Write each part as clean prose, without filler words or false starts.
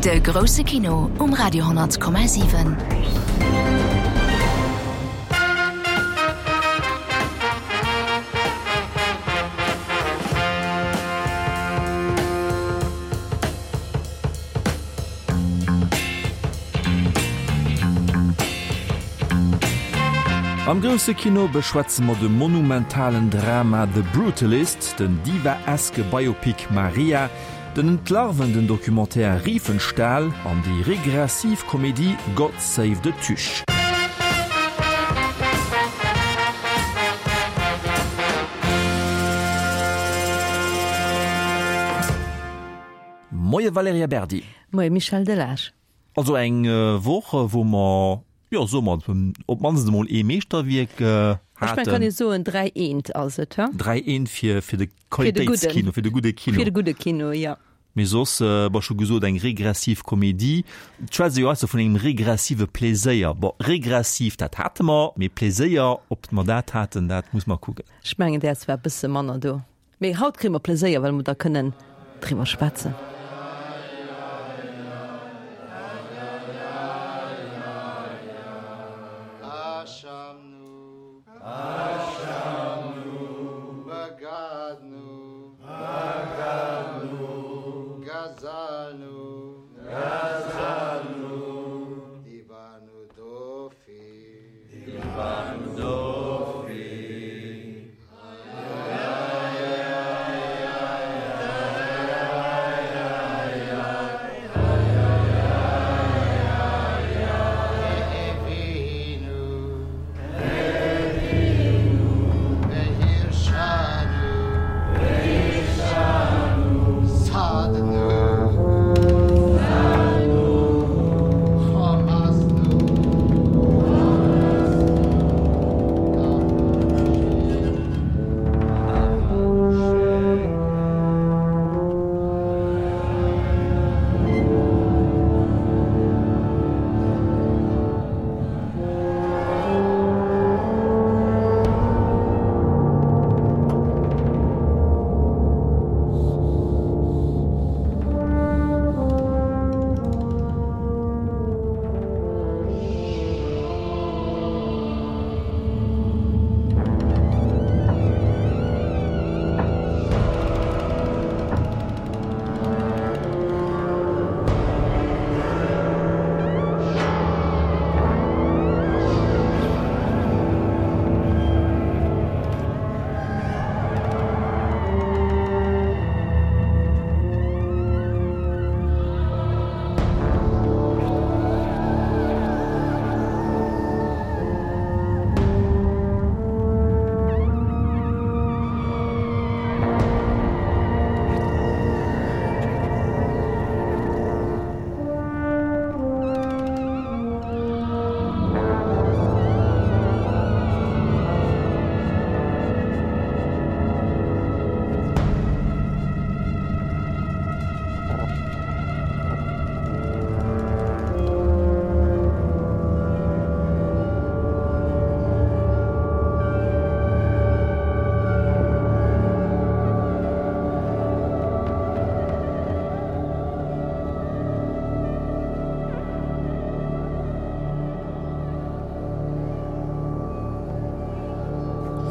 De grousse Kino um Radio 10,7. Am grousse Kino beschwätze mer de monumentalen Drama The Brutalist, den diva-eske Biopic Maria, den entlarvenden Documentaire Riefenstahl an déi regressiv Komedie God Save the Tuche. Moie Valerija Berdi. Moie Michel Delage. Also eng Woch, wou mer, jo soe mer, op d'mannst emol ee Meeschterwierk haten. Ech mengen, kann ee soen, 3 eent ass et, he? 3 eent fir, fir de Qualitéitskino, fir de gudde Kino. Fir de gudde Kino, jo. Mee soss, bon, ech hu gesot, eng regressiv Komedie. Et schwätzt ee jo heiansdo vun engem regressive Pleséier. Bon, regressiv, dat hate mer, mee Pleséier, ob mer dat haten, dat muss mer kucken. Ech mengen, däers war e bësse manner do. Mee haut kréie mer Pleséier, well mer da kënnen driwwer schwätzen.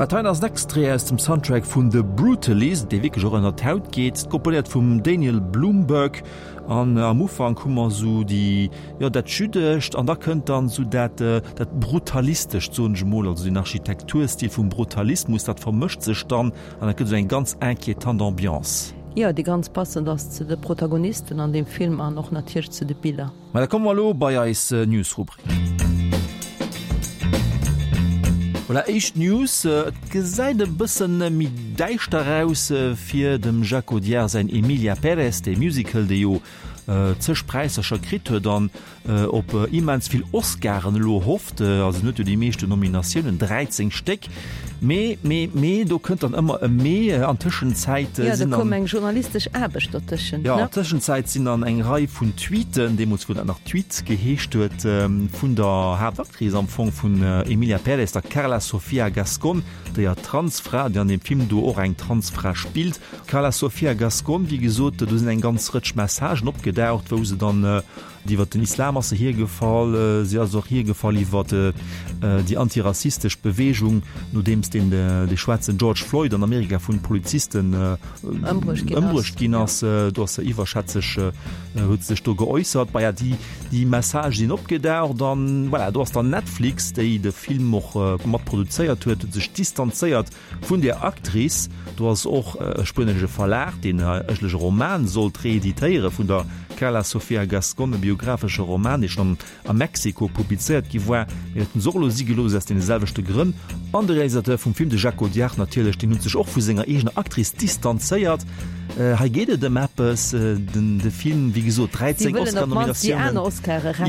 Dat heien ass en Extrait aus dem Soundtrack vun The Brutalist, dee wierklech och ënnert d'Haut geet, komponéiert vum Daniel Blumberg. An am Ufank hu mer esou déi, jo, dat Jüddescht an da kënnt dann esou dat, dat Brutalistescht, soen ech emol, also den Architekturstil vum Brutalismus, dat vermëscht sech dann an dat gëtt esou eng ganz inquiétant Ambiance. Jo, déi ganz passend ass zu de Protagonisten an deem Film an och natierlech zu de Biller. Ma da komme mer elo bei eis News-Rubrik. Voilà, éischt News, Et gesäit e bëssen méi däischter aus fir dem Jacques Audiard säin Emilia Pérez, dee Musical, dee jo zeg Präisser scho kritt huet an op immens vill Oscaren elo hofft. Also en huet jo déi meeschten Nominatiounen, 13 Stéck. Mee, mee, mee, do kënnt dann ëmmer e Mee. An Tëschenzäit sinn dann. Jo, do koum eng journalistesch Aarbecht dotëschent, ne? Jo, an Tëschenzäit sinn dann eng Rei vun Tweeten, deemools wou dat nach Tweets geheescht huet, vun der Haaptactrice am Fong vun Emilia Pérez, der Carla Sofía Gascón, déier Transfra, déi an deem Film do och eng Transfra spillt. Carla Sofía Gascón, wéi gesot, do sinn eng ganz Rëtsch Messagen opgedaucht, wou se dann Iwwer den Islam ass se hiergefall. Si ass och hiergefall iwwer déi antirassistesch Beweegung, nodeems deen de schwaarzen George Floyd an Amerika vun Polizisten ëmbruecht ginn ass. Do ass se iwwerschätzeg, huet se sech do geäussert. Bah ja, déi déi Messagë sinn opgedaucht an voilà, do ass dann Netflix, déi de Film och mat produzéiert huet, huet sech distanzéiert Vun der Actrice, do ass och e spuenesche Verlag, deen eigentlech e Roman sollt reeditéiere vun der Carla Sofía Gascón, e biographesche Roman, dee schonn a Mexiko publizéiert gi war, mee dat hunn se och elo si gelooss aus deene selwechte Grënn. An de Realisateur vum Film, de Jacques Audiard natierlech, deen huet sech och vu senger eegener Actrice distanzéiert. Hei geet et ëm eppes, den de Film, wéi gesot, 13 Oscar-Nominatiounen.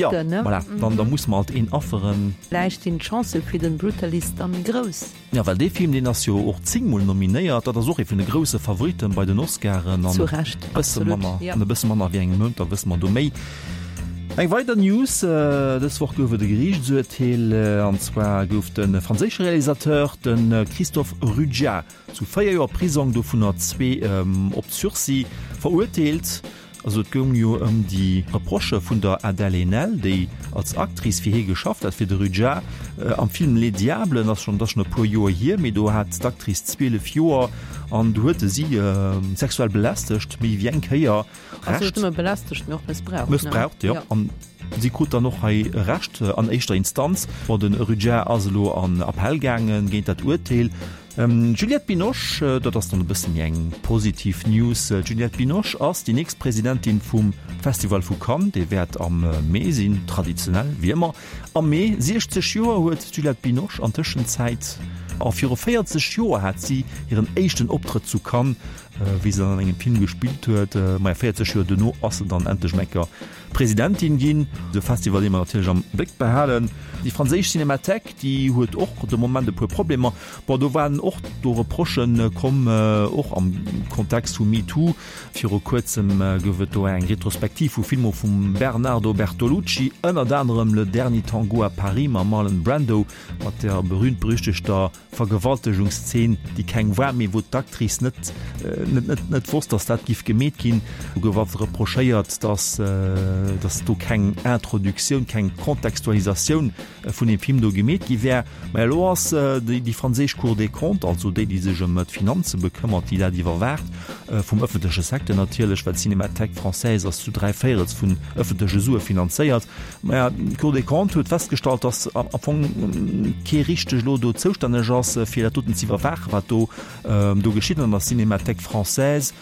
Jo, voilà, dann da muss mer alt een afferen. Vläicht sinn d'Chancë fir den Brutalist da méi grouss. Jo, well dee Film, deen ass jo och zéngmol nominéiert. Dat ass och ee vun de grousse Favoritten bei den Oscaren. Zu Recht, absolut, jo. An e bësse manner wéi engem Mount, da wësse mer do méi. Eng weider News, Dës Woch gouf et e Geriichtsurteel, an zwar gouf de franséische Realisateur, de Christophe Ruggia, zu 4 Joer Prisong, dovunner zwee op Sursis, verurteelt. Also et goung jo ëm déi Reprochë vun der Adèle Haenel, déi als Actrice fir hie geschafft hat, fir de Ruggia am Film Les Diables. Ass schonn, dat ass schonn e puer Joer hier, mee do hat d'Actrice 12 Joer an do huet e si sexuell belästegt, méi wéi eng Kéier. Also net nëmme belästegt, mee och mëssbraucht. Mëssbraucht, jo. An si krut dann och hei Recht an éischter Instanz. Bon, de Ruggia ass elo an Appell gaange géint dat Urteel. D'Juliette Binoche, dat ass dann e bësse méi eng positiv News, d'Juliette Binoche ass déi nächst Presidentin vum Festival vu Cannes. Dee wäert am Mee sinn, traditionell wéi ëmmer am Mee. 60 Joer huet d'Juliette Binoche an Tëschenzäit a viru 40 Joer hat si hiren éischten Optrëtt zu Cannes, wéi se dann an engem Film gespillt huet. Maja, 40 Joer duerno ass se dann endlech eng Kéier Presidentin ginn. De Festival, dee mer natierlech am Bléck behalen. Déi franséisch Cinémathèque, déi huet och de Moment e puer Problemer. Bon, do waren och do Reprochë komm, och am Kontext vu MeToo. Viru kuerzem gouf et do eng Retrospektiv vu Filmer vum Bernardo Bertolucci, ënnert anerem Le dernier tango à Paris mam Marlon Brando, mat der berühmt-berüchtegter Vergewaltegungszeen, déi keng war, mee wou d'Actrice net net net wosst, datt dat giff gemeet ginn. Do gouf einfach reprochéiert, datt datt do keng Introduktioun, keng Kontextualisatioun vun deem Film do gemeet gi wär. Mä elo ass déi déi franséisch Cour des Comptes, also déi, déi sech ëm d'Finanze bekëmmert, déi dat iwwerwaacht, vum ëffentleche Secteur natierlech, well d'Cinémathèque française ass zu dräivéierels vun ëffentleche Sue finanzéiert, Maja, d'Cour des Comptes huet festgestallt, datt am Fong kee richteg elo do zoustänneg ass, fir dat doten ze iwwerwaachen, wat do do geschitt an der Cinémathèque française.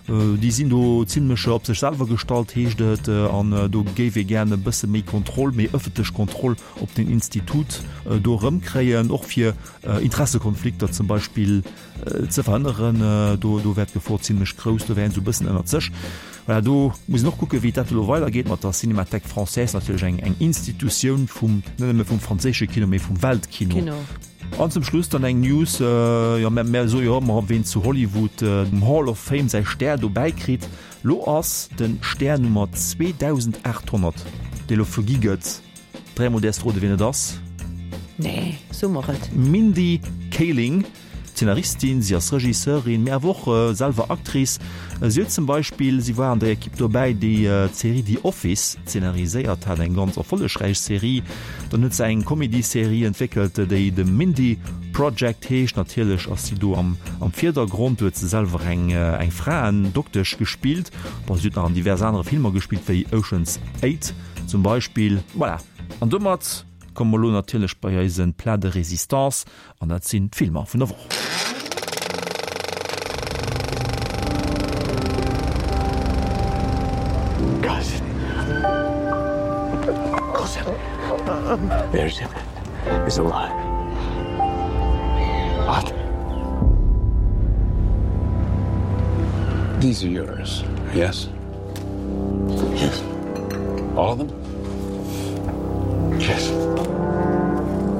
Déi sinn do zimlech op sech selwer gestallt, heescht et, an do géif ee gären e bësse méi Kontroll, méi ëffentlech Kontroll op den Institut do erëmkréien, och fir Interessekonflikter zum Beispill Ze verhënneren. Do do wär d'Gefor zimlech grouss, do wär een esou e bëssen ënnert sech. Voilà, do muss een och kucken, wéi dat elo weidergeet mat der Cinémathèque française, natierlech eng eng Institutioun vum, net nëmme vum franséische Kino, mee vum Weltkino. Kino. An zum Schluss dann eng News, jo mär mär soe jo ëmmer, ween zu Hollywood dem Hall of Fame säi Stär dobäi kritt. Lo ass de Stär Nummer 2800, dee lo vergi gëtt. Dräimol däerfs de roden, wien et ass. Nee, so mer et. Mindy Kaling. Zeenaristin, si ass Regisseurin, mee awer och selwer Actrice. Si huet zum Beispill, si war an der Ekipp dobäi, déi d'Serie The Office zeenariséiert hat, eng ganz erfollegräich Serie. Dann huet se eng Comedy-Serie entwéckelt, déi The Mindy Project heescht. Natierlech ass si do am Virdergrond. Do huet se selwer eng eng Fraendoktesch gespillt. Bon, si huet nach an divers anere Filmer gespillt, wéi Ocean's 8 zum Beispill. Voilà, an domat komme mer elo natierlech bei eise Plat de résistance. An dat sinn d'Filmer vun der Woch. These are yours, yes? Yes. All of them? Yes.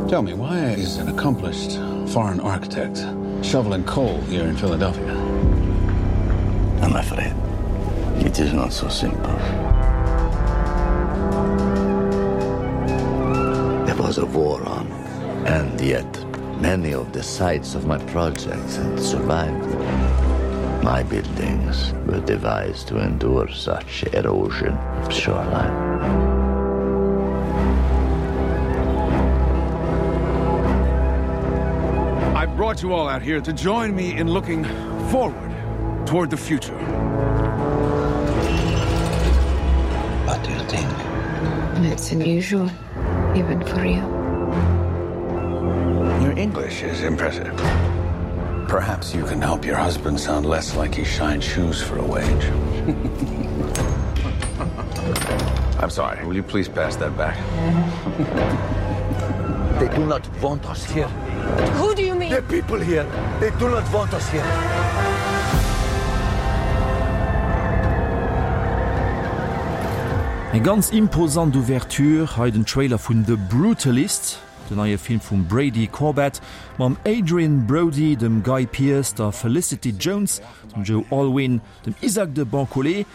Tell me, why is an accomplished. foreign architects shoveling coal here in Philadelphia. I'm afraid it is not so simple. There was a war on, and yet many of the sites of my projects had survived. My buildings were devised to endure such erosion of shoreline. I brought you all out here to join me in looking forward toward the future. What do you think? It's unusual, even for you. Your English is impressive. Perhaps you can help your husband sound less like he shines shoes for a wage. I'm sorry, will you please pass that back? They do not want us here. Who do you mean? The people here, they do not want us here. Eng ganz imposant Ouverture, hei den Trailer vun The Brutalist, den neie Film vum Brady Corbet mam Adrien Brody, dem Guy Pearce, der Felicity Jones, dem Joe Alwyn, dem Isaach de Bankolé,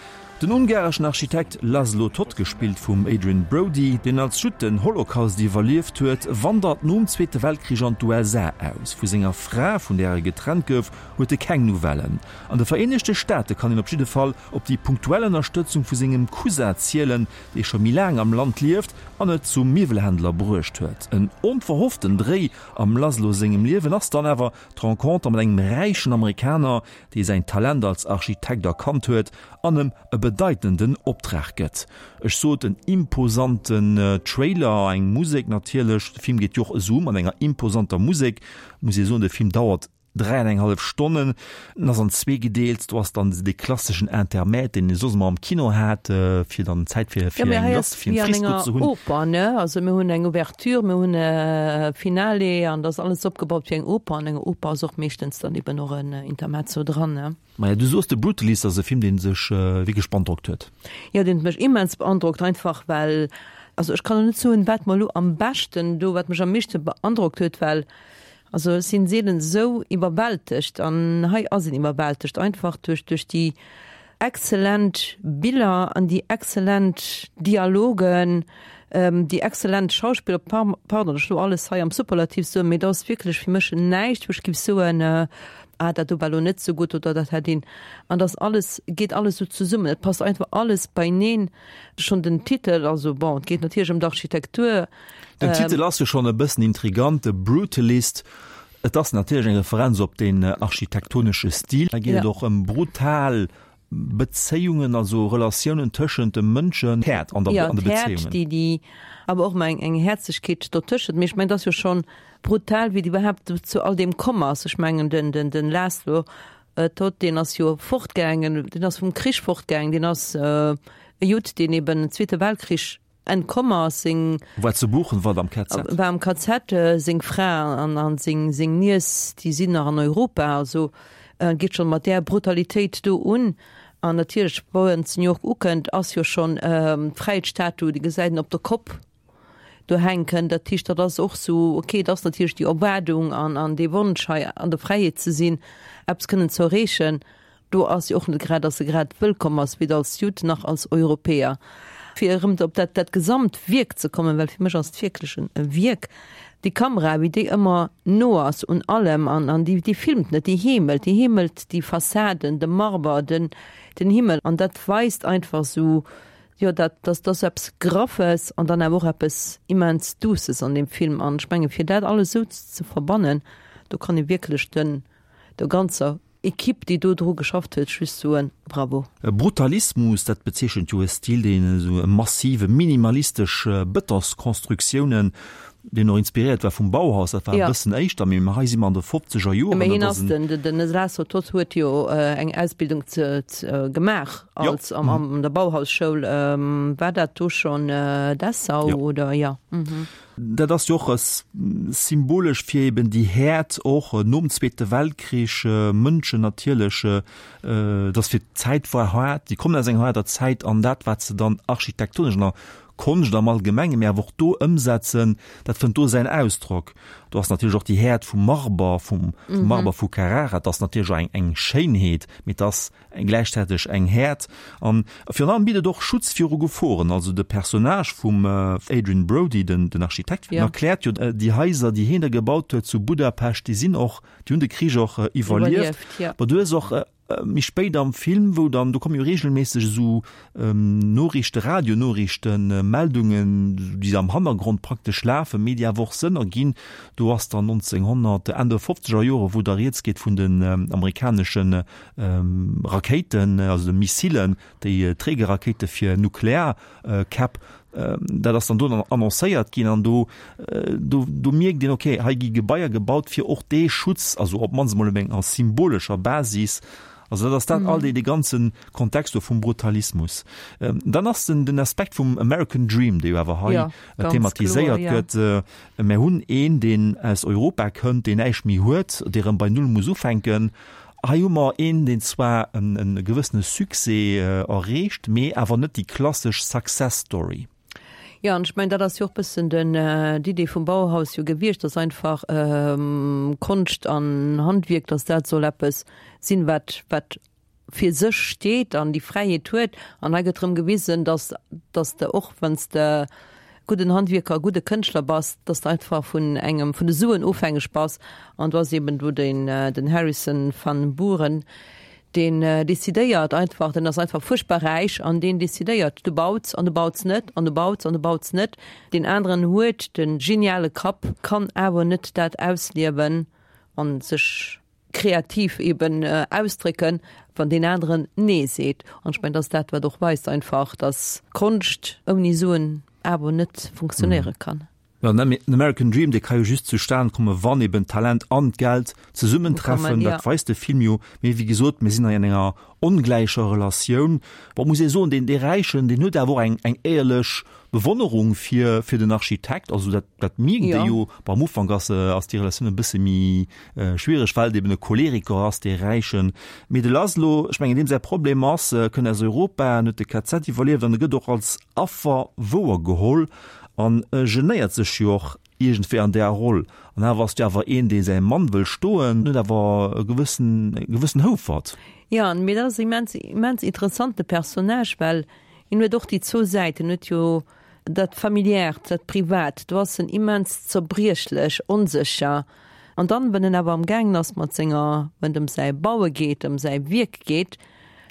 Den ungareschen Architekt Laszlo Toth, gespillt vum Adrien Brody, deen als Judd den Holocaust iwwerlieft huet, wandert nom Zweete Weltkrich an d'USA aus. Vu senger Fra, vun där e getrennt gouf, huet e keng Nouvellen. An de Vereenegte Staate kann een op jidde Fall op déi punktuell Ënnerstëtzung vu sengem Cousin zielen, dee scho méi laang am Land lieft an et zum Miwwelhändler bruecht huet. En onverhofften Dréi am Laszlo sengem Liewen ass dann awer d'Renconter mat engem räichen Amerikaner, dee säin Talent als Architekt erkannt huet an em e bedeitenden Optrag gëtt. Ech sot en imposanten Trailer, eng Musek natierlech, de Film geet jo och esou mat enger imposanter Musek, muss ee soen, de Film dauert 3 an eng hallef Stonnen, en ass an zwee gedeelt, do ass dann dee klasseschen Intermède, deen ee soss ëmmer am Kino hat, fir dann Zäit fir fir eng lass fir en Frisco ze hunn. Oper, ne? Also mir hunn eng Ouverture, mir hunn e Finale an dat ass alles opgebaut wéi eng Oper an enger Oper ass och meeschtens dann eben och en Intermezzo dran, ne? Maja, du soos The Brutalist ass e Film, dee sech wierklech beandrockt huet. Jo, deen huet mech immens beandrockt, einfach well, also ech kann elo net soen, wat mer elo am beschten do, wat mech am meeschte beandrockt huet, well also ech sinn seelen esou iwwerwältegt an hei ass een iwwerwältegt, einfach duerch duerch déi exzellent Biller an déi exzellent Dialogen, déi exzellent Schauspiller, pardon, datt ech elo alles hei am Superlativ soen, mee et ass wierklech fir mech näischt, wou ech géif soen, ah dat do war elo net esou gutt oder dat hätt een, an dass alles, geet alles esou zesummen, et passt einfach alles beineen, schonn den Titel, also bon, et geet natierlech ëm d'Architektur. Den Titel ass jo schonn e bëssen intrigant, The Brutalist, et ass natierlech eng Referenz op deen architektonesche Stil, hei geet et och ëm brutal Bezéiungen, also Relatiounen tëschent de Mënschen, Häert an der, an de Bezéiungen. Jo, d'Häert, déi, déi awer och ëmmer eng, eng Häerzlechkeet dotëschent. Mee ech mengen, et ass jo schonn brutal, wéi et iwwerhaapt zu all deem komm ass. Ech mengen, den, den, den László Toth, deen ass jo fortgaangen, deen ass vum Krich fortgaangen, deen ass e Judd, deen eben den Zweete Weltkrich Entkomm ass, seng. War zu Buchenwald am KZ. War am KZ, seng Fra an an seng seng Niess, déi sinn nach an Europa. Also geet schonn mat där Brutalitéit do un. An natierlech, wou en zu New York ukënnt, ass jo schonn d'Fräiheetsstatu, déi gesäit en op der Kopp do hänken. Dat heescht, dat ass och sou, okay, et ass natierlech déi Erwaardung an an dee Wonsch hei an der Fräiheet ze sinn, eppes kënnen ze erreechen. Do ass jo och net grad, dass e grad wëllkomm ass, weder als Judd nach als Europäer. Fir erëm op dat, dat gesamt Wierk ze kommen, well fir mech ass et wierklech en e Wierk, déi Kamera, wéi déi ëmmer no ass un allem an, an déi, déi filmt net, déi heemelt, déi heemelt déi Fassaden, de Marber, den, den Himmel an dat weist einfach esou, jo, dat, dass, dass eppes Graffes an dann awer och eppes immens Duusses an deem Film. An ech menge fir dat alles esou ze verbannen, do kann ee wierklech den, der ganzer Equipe déi do dru geschafft huet, just soen, Bravo. Brutalismus, dat bezeechent jo e Stil, deen esou e massive, minimalistesch Bëtonskonstruktiounen, deen och inspiréiert war vum Bauhaus, dat war e bëssen éischter, mee hei si mer an de fofzeger Joren. Mee hien ass, den den László Toth huet jo eng Ausbildung ze gemaach als am an der Bauhausschoul, war dat do schonn Dessau oder? Jo. Dat ass jo och symbolesch fir eben déi Häert och nom Zweete Weltkrich, Mënschen natierlech, et ass fir d'Zäit war haart, déi kommen aus enger haarder Zäit an dat wat se dann architektonesch an der. Konscht am Allgemengen, mee awer och do ëmsetzen, dat fënnt do säin Ausdrock. Do ass natierlech och déi Häert vum Marber, vum Marber vu Carrara, dat ass natierlech och eng, eng Schéinheet, mee et ass gläichzäiteg eng Häert. An virun allem bitt et och Schutz viru Geforen. Also de Personnage vum Adrien Brody, den, den Architekt, den erkläert jo, déi Haiser, déi hien da gebaut huet zu Budapest, déi sinn och, déi hunn de Krich och iwwerlieft. Bon, du hues och Méi spéit am Film, wou dann, do komme jo reegelméisseg esou Noriichte, Radionoriichten, Meldungen, déi am Hannergrond praktesch lafen, mee déi awer och Sënn erginn. Do ass dann 1900, Enn der fofzeger Jore, wou da rieds geet vun den amerikanesche Rakéiten, also de Missilen, déi Trägerrakéite fir Nuklearkäpp. Dat ass dann do dann annoncéiert ginn an do, do, do mierkt een, okay, hei gi Gebaier gebaut fir och dee Schutz, also op d'mannst emol op enger symbolescher Basis. Also dat ass dat all dee, dee ganze Kontext do vum Brutalismus. Dann ass den, den Aspekt vum American Dream, dee jo awer hei ja, thematiséiert kloer, ja. gëtt. Mir hunn een, deen aus Europa kënnt, deen näischt méi huet, dee rëm bei Null muss ufänken. Hei hu mer een, deen zwar e gewëssene Succès erreecht, mee awer net déi klassesch Success Story. Jo, an ech mengen, dat ass jo och e bëssen den, d'Idee vum Bauhaus jo gewiescht, dass einfach Konscht an Handwierk, dass dat soll eppes sinn, wat, wat fir sech steet an déi Fräiheet huet. An hei gëtt erëm gewisen, dass, dass de och, wann s de gudden Handwierker, gudde Kënschtler bass, dass de einfach vun engem, vun de Suen ofhängeg bass. An do ass eben do den, den Harrison van Buren, deen decidéiert einfach, deen ass einfach fuerchtbar räich an deen decidéiert, du bauz an du bauz net an du bauz an du bauz net. Deen aneren huet de geniale Kapp, kann awer net dat ausliewen an sech kreativ eben ausdrécken, wann deen aneren Nee seet. An ech mengen, dat ass dat, wat och weist einfach, dass Konscht ouni Suen awer net funktionéiere kann. Jo, den American Dream, dee ka jo just zustan kommen, wann eben d'Talent an d'Geld zesummentreffen. Dat weist de Film jo. Mee wéi gesot, mir sinn hei an enger ongläicher Relatioun. Bon, muss ee soen, deen, dee Räichen, deen huet awer och eng, eng éierlech Bewonnerung fir, fir den Architekt. Also dat, dat mierkt ee jo. Bon, am Ufank ass, ass déi Relatioun e bësse méi schwiereg, well et eben e Choleriker ass, dee Räichen. Mee de Laszlo, ech mengen, deem säi Problem ass, e kënnt aus Europa, en huet de KZ iwwerlieft an e gëtt och als Affer wouergeholl an e genéiert sech jo och iergendwéi an där Roll. An awer ass du awer een, dee säi Mann wëll stoen, huet awer e gewëssen, e gewëssen Houfert. Jo, mee dat ass immens, immens interessante Personnage, well hien huet och déi zwou Säiten, huet jo dat Familiärt, dat Privat, do ass en immens zerbriechlech, onsécher. An dann, wann en awer am gaangen ass mat senger, wann et ëm säi Baue geet, ëm säi Wierk geet,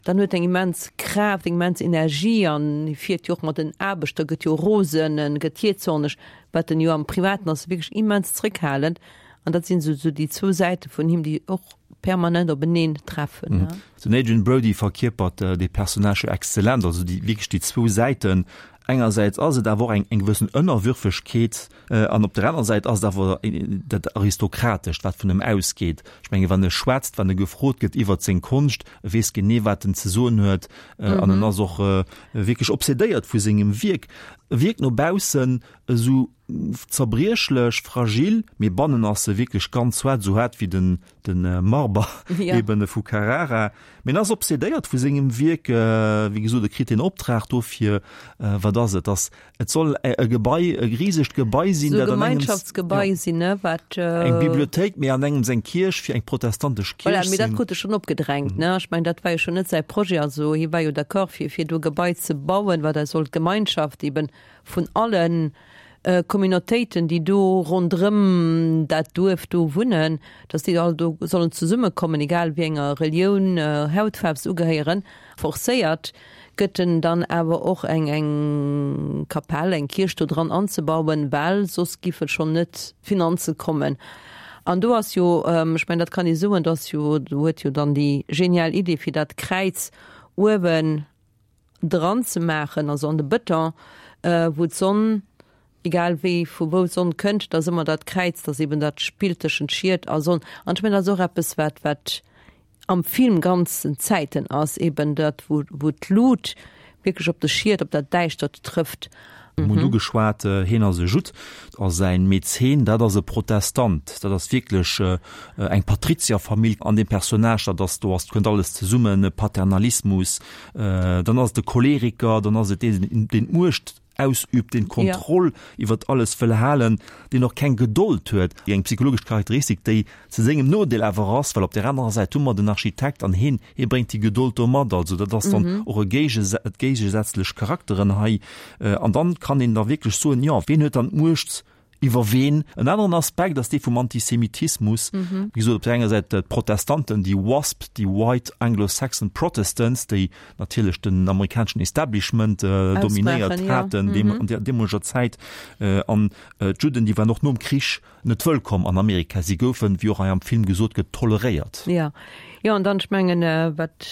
dann huet eng immens Kraaft, eng immens Energie an hie fiert jo och mat den Aarbechter, gëtt jo rosen, en gëtt jähzorneg, wat en jo am Privaten ass e wierklech immens zréckhalend. An dat sinn esou déi zwou Säite vun him, déi och permanent openeen treffen. Den Adrien Brody verkierpert dee Personnage jo exzellent, also déi wierklech déi zwou Säiten. Engersäits ass et awer och eng eng gewëssen Ënnerwürfegkeet an op der anerer Säit ass et awer dat Aristokratescht, wat vun em ausgeet. Ech menge wann e schwätzt, wann e gefrot gëtt iwwert seng Konscht, e weess genee wat en ze soen huet an en ass och wierklech obsedéiert vu sengem Wierk. E wierkt no baussen esou zerbriechlech, fragil, mee bannen ass e wierklech ganz haart, esou haart wéi den de Marber eben vu Carrara. Mee en ass obsedéiert vu sengem Wierk, wéi gesot, e kritt den Optrag dofir, wat ass et, dass et soll e Gebai, e risegt Gebai sinn, dat an engems, Gemeinschaftsgebai sinn, ne, wat eng Bibliothéik, mee an engems eng Kierch fir eng protestantesch Kierch Voilà, mee dat krut e schonn opgedrängt, ne. Ech mengen, dat war jo schonn net säi Projet, also hie war jo d'accord fir fir do e Gebai ze bauen, wat eis soll d'Gemeinschaft eben vun allen Communautéiten, déi do ronderëm dat Duerf do wunnen, dass déi all do sollen zesummekommen, egal wéi enger Relioun, Hautfaarf se ugehéieren. Forcéiert gëtt en dann awer och eng eng Kapell, eng Kierch do dran anzebauen, well soss giffe schonn net d'Finanze kommen. An do ass jo, ech mengen dat kann ee soen, do ass jo, do huet jo dann déi genial Idee fir dat Kräiz uewen dran ze maachen, also an de Bëton, wou d'Sonn, egal wéi, vu wou d'Sonn kënnt, da ass ëmmer dat Kräiz, dat ass eben dat Spill tëschent Schied a Sonn. An ech mengen, dat ass och eppes, wat, wat am Film ganzen Zäiten ass, eben dat, wou, wou d'Lut wierklech op de Schied, op dat Däischtert trëfft. Mir hunn ugeschwat, hien ass e Judd a säin Mäzen, dat ass e Protestant. Dat ass wierklech eng Patrizierfamill. An deem Personnage, dat ass, do ass, kënnt alles zesummen, Paternalismus, dann ass et de Choleriker, dann ass et deen, deen d'Muecht. ausübt, deen d'Kontroll iwwert alles wëll halen, deen och keng Gedold huet, eng psychologesch Charakteristik, déi zu sengem Nodeel awer ass, well op där anerer Säit hu mer den Architekt an heen, hee bréngt déi Gedold do mat. Also dat ass dann och e Géigese, géigesätzlech Charakteren hei. An dann kann een da wierklech soen, jo, ween huet dann d'Muecht iwwer ween? En aneren Aspekt ass dee vum Antisemitismus. Wéi gesot, op där enger Säit d'Protestanten, déi WASP, déi White Anglo-Saxon Protestants, déi natierlech den amerikaneschen Establishment dominéiert haten an där deemoleger Zäit. An d'Judden, déi waren och nom Krich net wëllkomm an Amerika. Si goufen, wéi och hei am Film gesot gëtt, toleréiert. Jo, jo, an dann, ech mengen, wat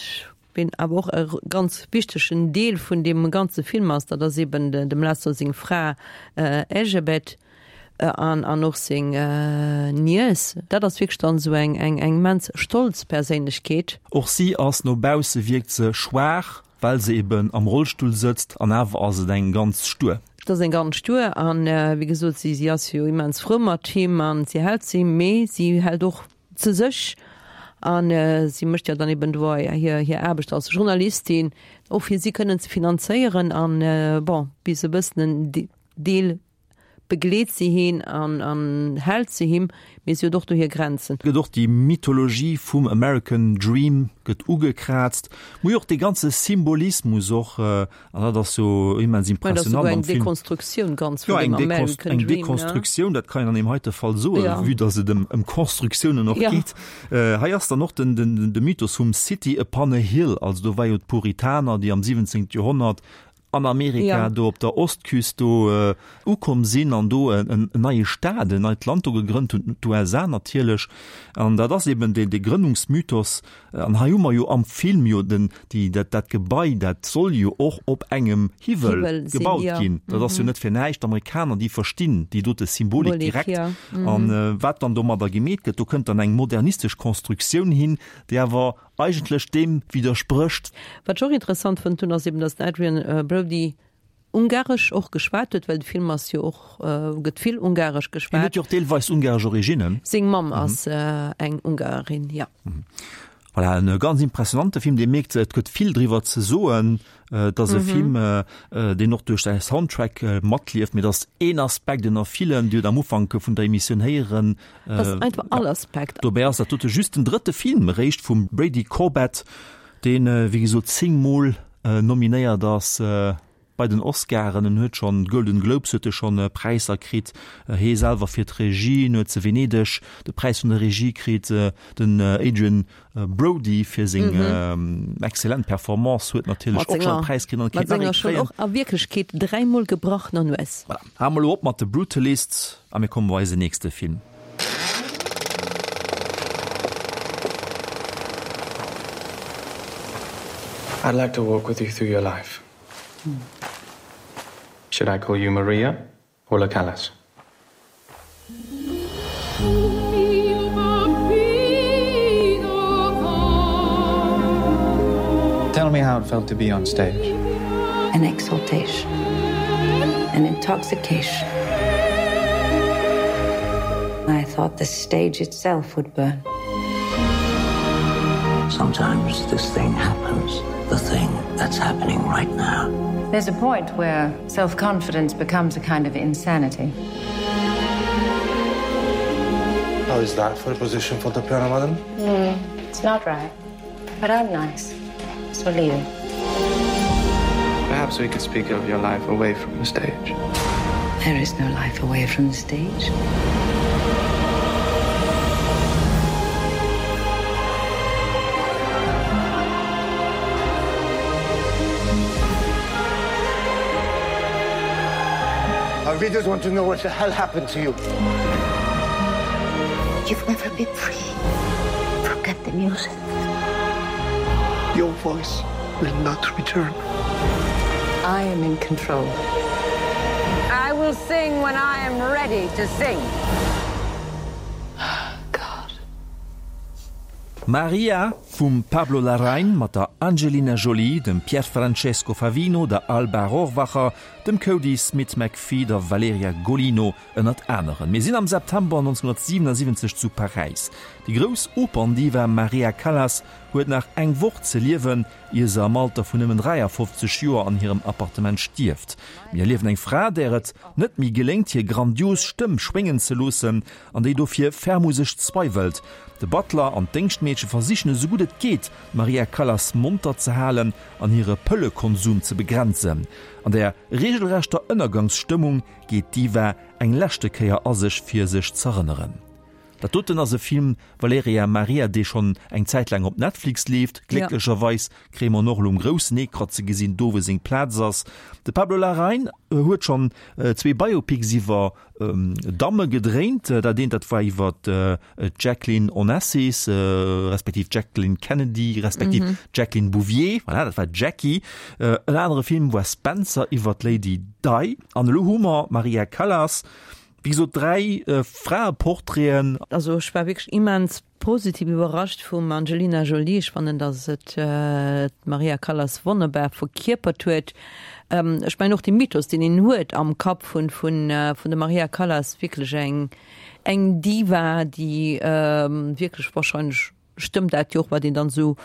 ween awer och e ganz wichtegen Deel vun deem ganze Film ass, dat ass eben dem László seng Fra Erzsébet an an och seng Niess. Dat ass wierklech dann esou eng eng eng immens stolz Perséinlechkeet. Och si ass, no bausse wierkt se schwaach, well se eben am Rollstull sëtzt, an awer ass et eng ganz stuer. Et ass eng ganz stuer an, wéi gesot, si si ass jo immens frou mat him an si hält zu him, mee si hält och zu sech an si mécht jo dann eben do hir hir Aarbecht als Journalistin, och fir si kënnen ze finanzéieren an, bon, bis e bëssen en Deel begleet si hien an an hält zu him, mee si huet och do hir Grenzen. Gëtt och déi Mythologie vum American Dream gëtt ugekraazt, mee och dee ganze Symbolismus och, an dat ass jo immens impressionant am Film. Eng Dekonstruktioun ganz vun dem American Dream. Eng Dekonstruktioun, dat kann een an deem heite Fall soen, vue dass et ëm Konstruktiounen och geet. Hei ass dann och den de Mythos vum City upon a Hill, also do war jo d'Puritaner, déi am 17. Joerhonnert an Amerika do op der Ostküst do ukomm sinn an do en neie Staat, en neit Land do gegrënnt hunn, d'USA natierlech. An dat ass eben dee Grënnungsmythos. An hei hu mer jo am Film jo den, déi, dat, dat Gebai, dat soll jo och op engem Hiwwel gebaut ginn. Dat ass jo net fir näischt. D'Amerikaner, déi verstinn déi dote Symbolik direkt. An wat dann domadder gemeet gëtt, do kënnt dann eng modernistesch Constructioun hin, déi awer eigentlech deem widdersprécht. Wat ech och interessant fonnt hunn, ass eben, dass den Adrian Brody Ungaresch och geschwat huet, well de Film ass jo och, gëtt vill Ungaresch geschwat. Hien huet jo och deelweis ungaresch Originnen. Seng Mamm ass eng Ungarin, jo. Voilà, en ganz impressionante Film, dee mierkt, et gëtt vill driwwer ze soen. Et ass e Film, deen och duerch säi Soundtrack matlieft, mee et ass een Aspekt ënner villen, Dir hutt am Ufank vun der Emissioun héieren, Et ass einfach all Aspekt. Dobäi ass dat dote just den drëtte Film eréischt vum Brady Corbet, deen, wéi gesot, 10 Mol nominéiert ass bei den Oscaren. En huet schonn Golden Globes huet e schonn Präisser kritt, hee selwer fir d'Regie, en huet zu Venedeg de Präis vun der Regie kritt, den Adrian Brody fir seng exzellent Performance huet natierlech och schonn e Präis kritt an kéint nach ee kréien. Mat senger schonn och a Wierklechkeet dräimol gebrachener Nues. Voilà, hale mer elo op mat The Brutalist a mir komme bei eise nächste Film. I'd like to walk with you through your life. Should I call you Maria or Lucalis? Tell me how it felt to be on stage. An exaltation, an intoxication. I thought the stage itself would burn. Sometimes this thing happens, the thing that's happening right now. There's a point where self-confidence becomes a kind of insanity. How is that for a position for the piano, madam? Mm, it's not right, but I'm nice, so leave it. Perhaps we could speak of your life away from the stage. There is no life away from the stage. Our readers want to know what the hell happened to you. You've never been free. Forget the music. Your voice will not return. I am in control. I will sing when I am ready to sing. God. Maria! Vum Pablo Larraín mat der Angelina Jolie, dem Pierfrancesco Favino, der Alba Rohrwacher, dem Kodi Smit-McPhee, der Valeria Golino ënnert aneren. Mir sinn am September 1977 zu Paräis. Déi grouss Operndiva Maria Callas huet nach eng Woch ze liewen, ier se am Alter vun nëmmen 53 Joer an hirem Appartement stierft. Mir erliewen eng Fra, där et net méi geléngt, hir grandios Stëmm schwéngen ze loossen an déi dofir ferm u sech zweiwelt. De Butler an d'Déngschtmeedche versichen esou gutt et geet, d'Maria Callas monter ze halen an hire Pëllekonsum ze begrenzen. An der reegelrechter Ënnergangsstëmmung geet d'Diva eng leschte Kéier a sech, fir sech z'erënneren. Dat doten ass e Film, Valerija Maria, dee schonn eng Zäit laang op Netflix leeft. Glécklecherweis kréie mer en och elo um groussen Ecran ze gesinn, do wou seng Plaz ass. De Pablo Larraín huet schonn zwee Biopics iwwer Damme gedréint. Dat eent, dat war iwwer d'Jacqueline Onassis, respektiv d'Jacqueline Kennedy, respektiv d'Jacqueline Bouvier, voilà, dat war d'Jackie. En anere Film war Spencer iwwer d'Lady Di. An elo hu mer d'Maria Callas. Wéi gesot, 3 Fraeportraiten. Also ech war wierklech immens positiv iwwerrascht vum Angelina Jolie. Ech fannen, datt et d'Maria Callas wonnerbar verkierpert huet. Ech mengen och de Mythos, deen een huet am Kapp vun vun der Maria Callas, wierklech eng eng Diva, déi wierklech wahrscheinlech stëmmt dat jo och, wat een dann esou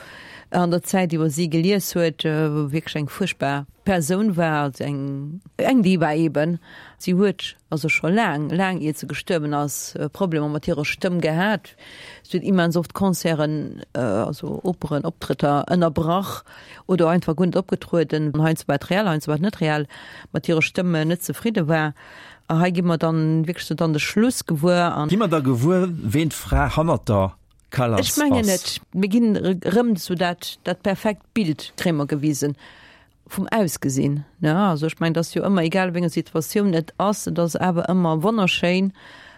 an der Zäit iwwer si gelies huet, wierklech eng fuerchtbar Persoun war, also eng, eng Diva eben. Si huet also scho laang, laang iert se gestuerwen ass, Problemer mat hirer Stëmm gehat. Si huet immens oft Concerten, also Operen, Optrëtter ënnerbrach oder einfach guer net opgetrueden, heiansdo war et reell, heiansdo war et net reell, mat hirer Stëmm net zefridde war. A hei gi mer dann wierklech sou dann de Schluss gewuer an. Gi mer da gewuer, ween d'Fra hannert der Callas Ech mengen net. Mir ginn erëm sou dat, dat perfekt Bild kréie mer gewisen vum Ausgesinn, ne? Also ech mengen, et ass jo ëmmer, egal wéi eng Situatioun et ass, et ass awer ëmmer wonnerschéin.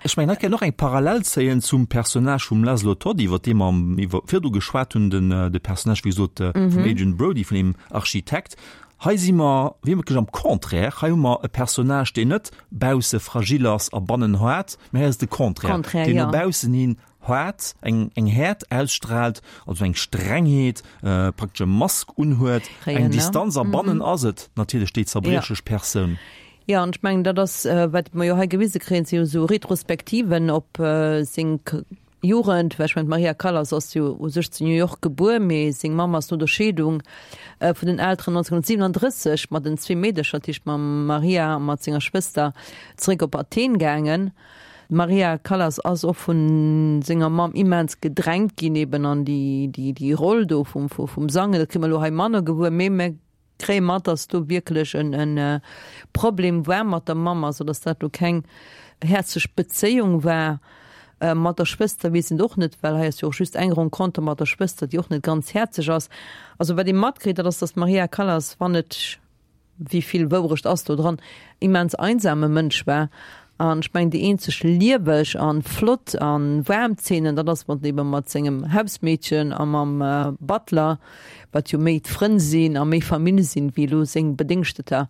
Ech mengen, hei kann een och eng Parallel zéien zum Personnage vum Laszlo Toth, iwwer dee mer am, iwwer, virdu geschwat hunn, den, de Personnage, wéi gesot, vum Adrien Brody, vun deem Architekt. Hei si mer wierklech am Contraire. Hei hu mer e Personnage, deen net bausse fragil ass a bannen haart, mä hei ass et de Contraire, deen no baussen hin Haart, eng eng Häert ausstrahlt, also eng Strengheet, praktesch e Mask unhuet, eng Distanz a bannen ass et natierlech déi zerbriechlech Persoun. Jo, an ech mengen, dat ass, wat mer jo hei gewise kréien, si jo esou Retrospektiven op seng Jugend, well ech mengen, d'Maria Callas ass jo u sech zu New York gebuer, mee seng Mamm ass no der Scheedung vun den Elteren 1937 mat den zwee Meedercher, dat heescht mam Maria a mat senger Schwëster, zeréck op Athen gaangen. D'Maria Callas ass och vu senger Mamm immens gedrängt ginn eben an déi, déi, déi Roll do vum, vum Sangen. Dat kréie mer elo hei manner gewuer, mee mer kréie mat, datt do wierklech en, en Problem war mat der Mamm, also datt dat elo keng häerzlech Bezéiung war. Mat der Schwëster weess een et och net, well hei ass jo och just eng Renconter mat der Schwëster, déi och net ganz häerzlech ass. Also wat ee matkritt, dat ass, datt d'Maria Callas, wann et wéi vill Wourecht ass do dran, immens einsame Mënsch war. An ech mengen, déi eenzeg lieweg an flott an waarm Zeenen, dat ass mat eben mat sengem Hausmeedchen a mam Butler, wat jo méi d'Frënn sinn a méi Famill sinn, wéi elo seng Bedéngschteter,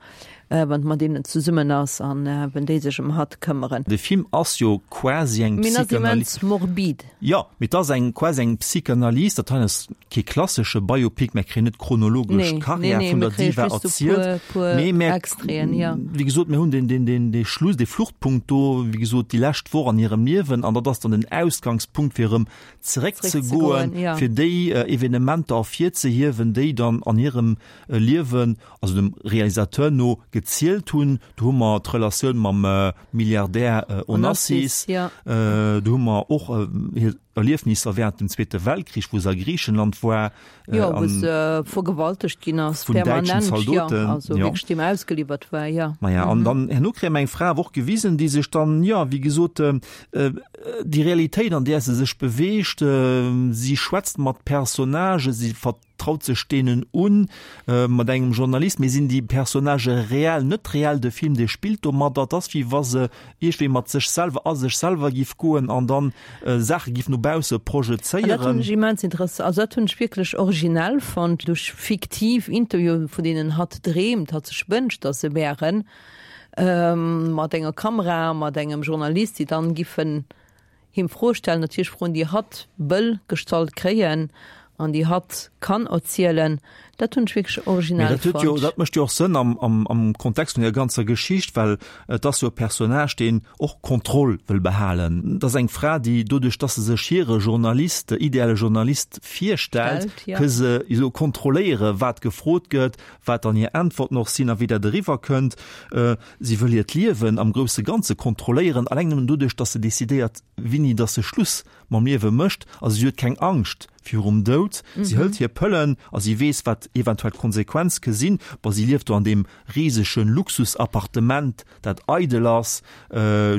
wann mat deenen zesummen ass an wenn déi sech ëm hatt këmmeren. De Film ass jo quasi eng Mee en ass immens morbid. Jo, mee et ass eng quasi eng Psychanalyse. Dat hei ass kee klassesche Biopic, mer kréien net chronologesch d'Karriär vun der Diva erzielt, mee mer, wéi gesot, mir hunn den, den, den, dee Schluss, dee Fluchtpunkt do, wéi gesot, déi lescht Woch an hirem Liewen, an dat ass dann den Ausgangspunkt, fir erëm zeréckzegoen, fir déi Evenementer ervirzehiewen, déi dann an hirem Liewen, also dem Realisateur no, gezielt hunn. Do hu mer d'Relatioun mam Milliardär Onassis, do hu mer och hir Erliefnisser während dem Zweete Weltkrich, wou se a Griichenland war. Jo, wou se vergewaltegt ginn ass, vun däitschen Zaldoten. Jo, also wierklech deem ausgeliwwert war, jo. Maja, an dann herno kréie mer eng Fra awer och gewisen, déi sech dann, jo, wéi gesot, déi Realitéit, an där se sech beweegt, si schwätzt mat Personnagen, si traut sech deenen un, mat engem Journalist, mee sinn déi Personnagë reell, net reell? De Film, dee spillt domadder, et ass wéi wa se iergendwéi mat sech selwer, a sech selwer giff goen an dann Saache giff no bausse projezéieren. An dat hunn ech immens interessant, also dat hunn ech wierklech originell fonnt, duerch fiktiv Interviewen, vun deenen hatt dreemt, hatt sech wënscht, datt se wären, mat enger Kamera, mat engem Journalist, déi dann giffen him Froe stellen, natierlech Froen, déi hatt wëll gestallt kréien. An déi hatt kann erzielen, dat hunn ech wierklech originell fonnt. Mee dat dat mécht jo och Sënn am, am, am Kontext vun der ganzer Geschicht, well et ass jo e Personnage, deen och Kontroll wëll behalen. Et ass eng Fra, déi doduerch, dass se sech hire Journalist, ideale Journalist virstellt, ka se esou kontrolléieren, wat gefrot gëtt, wat dann hir Äntwerten och sinn a wéi dat eriwwerkënnt. Si wëll hiert Liewen am grousse Ganze kontrolléieren, alleng nëmmen doduerch, dass se decidéiert, wéini dass se Schluss mam Liewe mécht, also si huet keng Angscht virum Doud, si hëlt hir Pëllen a si weess, wat eventuell d'Konsequenz ke sinn. Bon, si lieft do an deem risege Luxusappartement, dat eidel ass,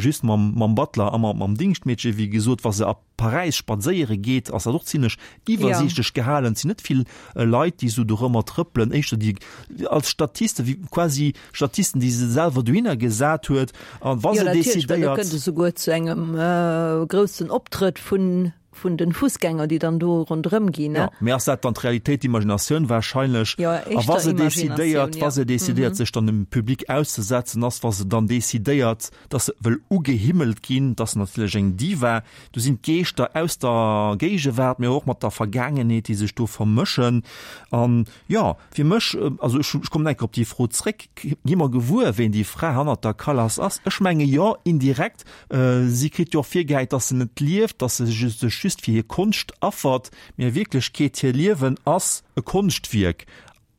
just mam mam Butler a mam mam Dingschtmeedche. Wéi gesot, wa se a Paräis spadséiere geet, ass dat och zimlech iwwersiichtlech gehalen. Et sinn net vill Leit, déi esou dorëmmer trëppelen, éischter déi als Statiste, wéi quasi Statisten, déi se selwer dohinner gesat huet. An wa se decidéiert. Jo, natierlech, well do kënnt et esouguer zu engem groussen Optrëtt vun, vun den Fussgänger, déi dann do ronderëm ginn, ne? Jo, mee ass dat dann d'Realitéit, d'Imaginatioun wahrscheinlech? Jo, A wa éischter se decidéiert, Imaginatioun, wa jo. se decidéiert, sech dann dem Public auszesetzen, ass, wa se dann decidéiert, dass se wëll ugehimmelt ginn, dass natierlech eng Diva, do sinn d'Geeschter aus der Géigewaart, mee och mat der Vergaangenheet, déi sech do vermëschen. An jo, fir mech, also ech ech kommen eng Kéier op déi Fro zréck, gi mer gewuer, ween déi Fra hannert der Callas ass? Ech menge jo, indirekt. Si kritt jo och virgehäit, dass se net lieft, dass se sech just fir hir Konscht affert, mee a Wierklechkeet, hir Liewen ass e Konschtwierk.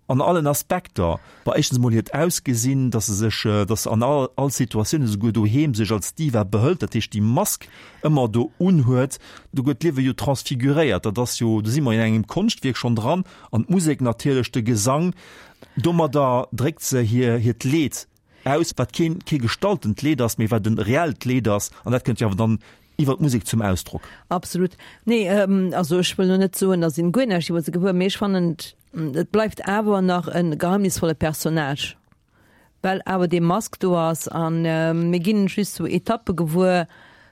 An allen Aspekter. Bon, éischtens emol hiert Ausgesinn, dass se sech, dass se an all, all Situatioun, esouguer doheem, sech als Diva behëlt, dat heescht déi Mask ëmmer do unhuet. Do gëtt d'Liewe jo transfiguréiert. Dat ass jo, do si mer in engem Konschtwierk schonn dran. An d'Musek natierlech, de Gesang, domadder dréckt se hir, hiert Leed aus, wat keen, kee gestaltent Leed ass, mee wat e reellt Leed ass. An dat kënnt jo awer dann iwwer d'Musek zum Ausdrock. Absolut. Nee, also ech wëll lo net soen, dass een guer näischt iwwer se gewuer, mee ech fannen, et bleift awer nach e geheimnisvolle Personnage, well awer dee Mask do ass an mir ginn just sou Etappe gewuer.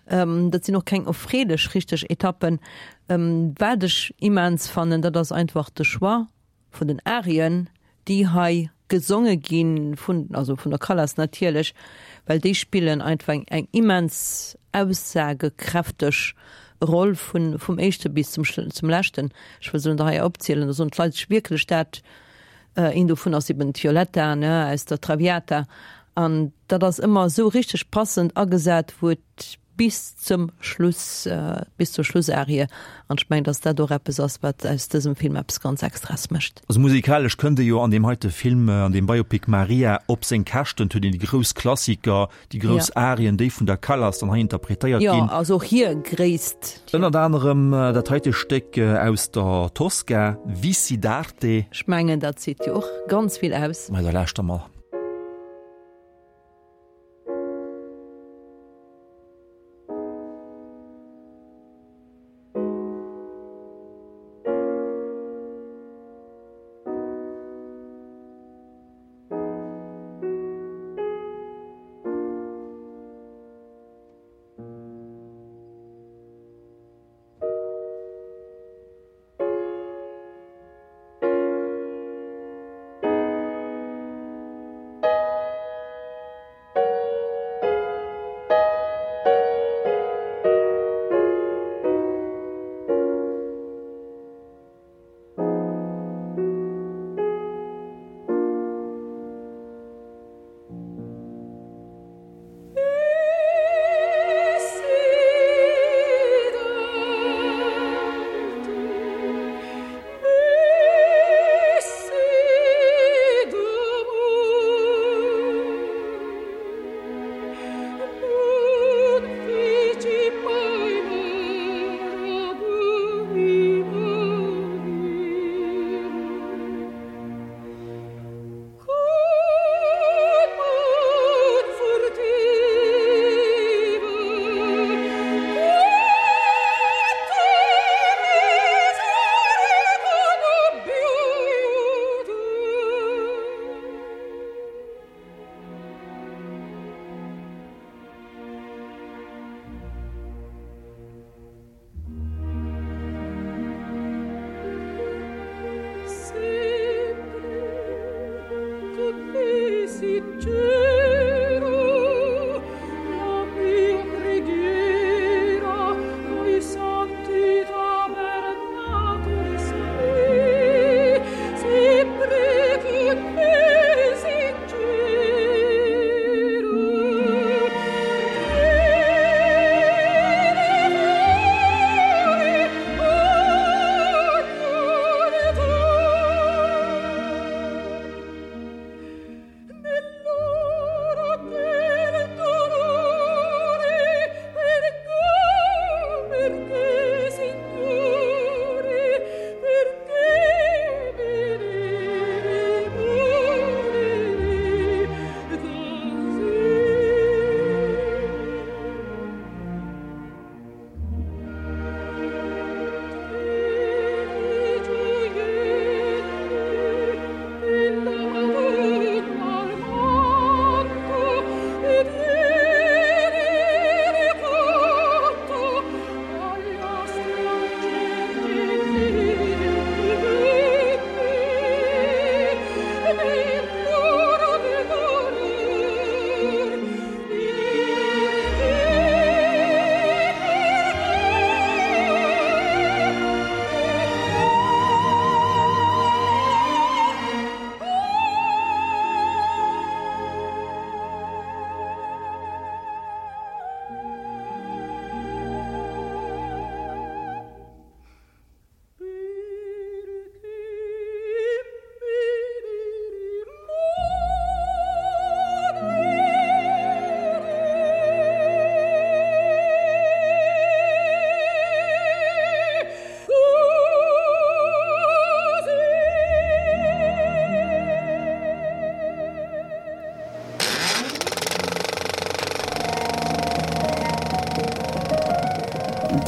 Dat sinn och keng erfreelech richteg Etappen. Wat ech immens fannen, dat ass einfach de Choix vun den Arien, déi hei gesonge gi vun, also vun der Callas natierlech, well déi spillen einfach eng, eng immens aussagekräfteg Roll vun, vum éischte bis zum, zum leschten. Ech wëll se net hei opzielen, da soen d'Leit sech wierklech dat. Een dovun ass eben d'Violetta, ne, aus der Traviata. An dat ass ëmmer esou richteg passend agesat, wou et Bis zum Schluss, bis zur Schlussarie. An ech mengen, dass dat och eppes ass, wat aus dësem Film eppes ganz Extraes mécht. Also musikalesch kënnt ee jo an deem heite Film, an deem Biopic Maria op seng Käschten. Et huet een déi grouss Klassiker, déi grouss Arien, déi vun der Callas dann hei interpretéiert ginn. Jo, also och hir Gréisst. Ënnert anerem dat heite Stéck aus der Tosca, Vissi d'arte. Ech mengen, dat seet jo och ganz vill aus. Mä da lauschter mer.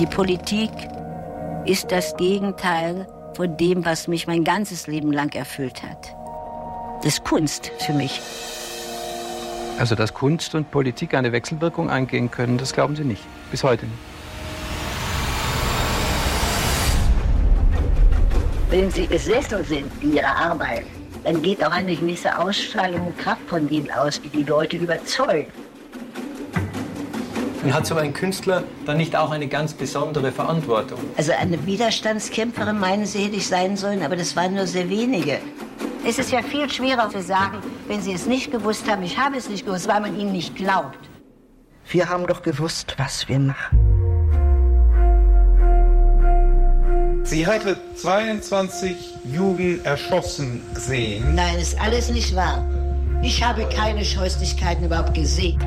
Die Politik ist das Gegenteil von dem, was mich mein ganzes Leben lang erfüllt hat. Das ist Kunst für mich. Also dass Kunst und Politik eine Wechselwirkung eingehen können, das glauben Sie nicht. Bis heute nicht. Wenn Sie besessen sind in Ihrer Arbeit, dann geht auch eine gewisse Ausstrahlung und Kraft von Ihnen aus, die die Leute überzeugt. Und hat so ein Künstler dann nicht auch eine ganz besondere Verantwortung? Also eine Widerstandskämpferin meinen Sie hätte ich sein sollen, aber das waren nur sehr wenige. Es ist ja viel schwerer zu sagen, wenn Sie es nicht gewusst haben, ich habe es nicht gewusst, weil man ihnen nicht glaubt. Wir haben doch gewusst, was wir machen. Sie hatte 22 Jugend erschossen sehen. Nein, ist alles nicht wahr. Ich habe keine Scheußlichkeiten überhaupt gesehen.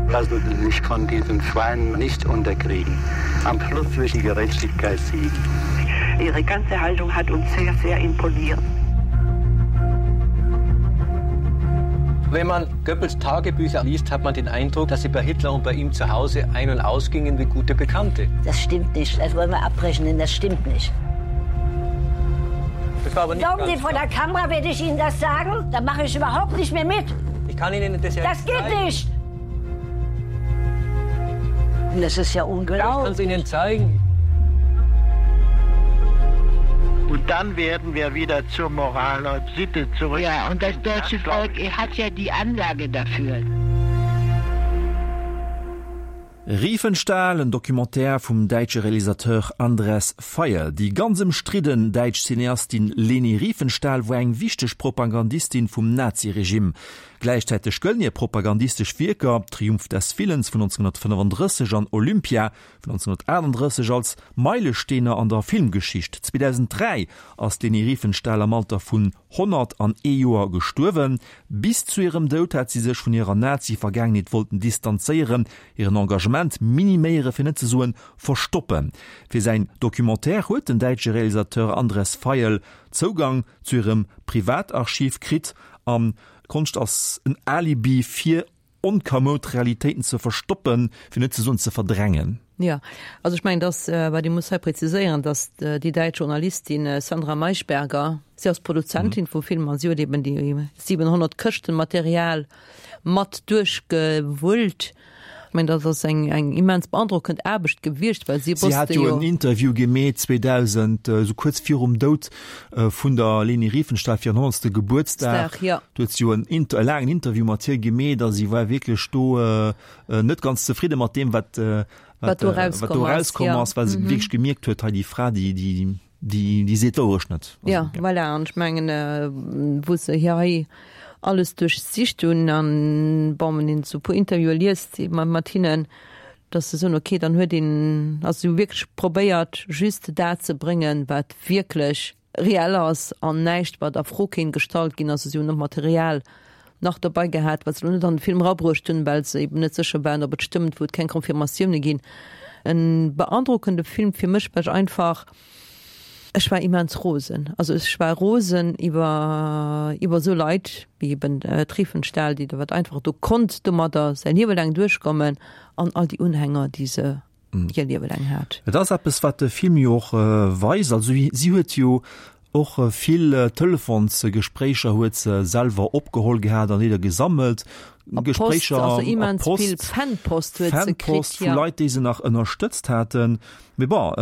Lassen Sie sich von diesen Schweinen nicht unterkriegen. Am Schluss wird die Gerechtigkeit siegen. Ihre ganze Haltung hat uns sehr, sehr imponiert. Wenn man Goebbels Tagebücher liest, hat man den Eindruck, dass sie bei Hitler und bei ihm zu Hause ein- und ausgingen wie gute Bekannte. Das stimmt nicht. Das wollen wir abbrechen, denn das stimmt nicht. Das war aber nicht Glauben Sie, vor der Kamera werde ich Ihnen das sagen? Da mache ich überhaupt nicht mehr mit. Ich kann Ihnen das ja Das geht zeigen. nicht. Das ist ja unglaublich. Ich kann es Ihnen zeigen. Und dann werden wir wieder zur Moral und Sitte zurück. Ja, und das deutsche Volk hat ja die Anlage dafür. Riefenstahl, en Documentaire vum däitsche Realisateur Andres Veiel. Déi ganz ëmstridden däitsch Cineastin Leni Riefenstahl war eng wichteg Propagandistin vum Naziregime. Gläichzäiteg gëllen hir propagandistesch Wierker Triumph des Willens vun 1935 an Olympia vun 1938 als Meilesteener an der Filmgeschicht. 2003 ass d'Leni Riefenstahl am Alter vun 101 Joer gestuerwen. Bis zu hirem Doud hat si sech vun hirer Nazi-Vergaangenheet wollten distanzéieren, hiren Engagement miniméieren, fir net ze soen verstoppen. Fir säin Documentaire huet den däitsche Realisateur Andres Veiel Zougang zu hirem Privatarchiv kritt an Konscht ass en Alibi fir onkamoud Realitéiten ze verstoppen, fir net ze soen ze verdrängen. Jo, also ech mengen, dass, wat ee muss hei präziséieren, dass déi däitsch Journalistin Sandra Maischberger, si ass Produzentin vum Film an si huet eben déi 700 Këschten Material mat duerchgewullt. Ech mengen, dat ass eng eng immens beandrockend Aarbecht gewiescht, well si Si wosste hat jo jo. en Interview gemeet 2000, esou kuerz virum Doud vun der Leni Riefenstahl fir hiren honnertste Gebuertsdag. Dag, jo. Do huet si jo en Inter e laangen Interview mat hir gemeet a si war wierklech do net ganz zefridde mat deem, wat Wat do wat erauskomm do ass, erauskomm jo. ass, well se wierklech gemierkt huet, hei déi Fra, déi déi déi déi seet d'Wourecht net. Also, Ja, voilà, an ech mengen, wou se hir hei alles duerchsicht hunn an, bon, wann een esou e puer Interviewe liest mat hinnen, dass se soen, okay, dann huet een, also si hu wierklech probéiert, just dat ze bréngen, wat wierklech reell ass an näischt, wat a Fro kéint gestallt ginn. Also si hunn och Material nach dobei gehat, wat se elo net an de Film erabruecht hunn, well se eben net sécher waren, ob et stëmmt, wou et keng Confirmatioune ginn. E beandrockende Film fir mech, well ech einfach, ech war immens rosen. Also ech war rosen iwwer iwwer esou Leit wéi eben d'Riefenstahl, déi wat einfach do konnt domadder säi Liewe laang duerchkommen an all déi Unhänger, déi se hir Liewe laang hat. Et ass eppes, wat de Film jo och weist. Also si huet jo och vill Telefonsgespréicher huet se selwer opgeholl gehat an Lidder gesammelt. A Post, Gespréicher also a immens vill Post, Fanpost huet se kritt, Fanpost vu jo. Leit, déi se nach ënnerstëtzt haten. Mee bon,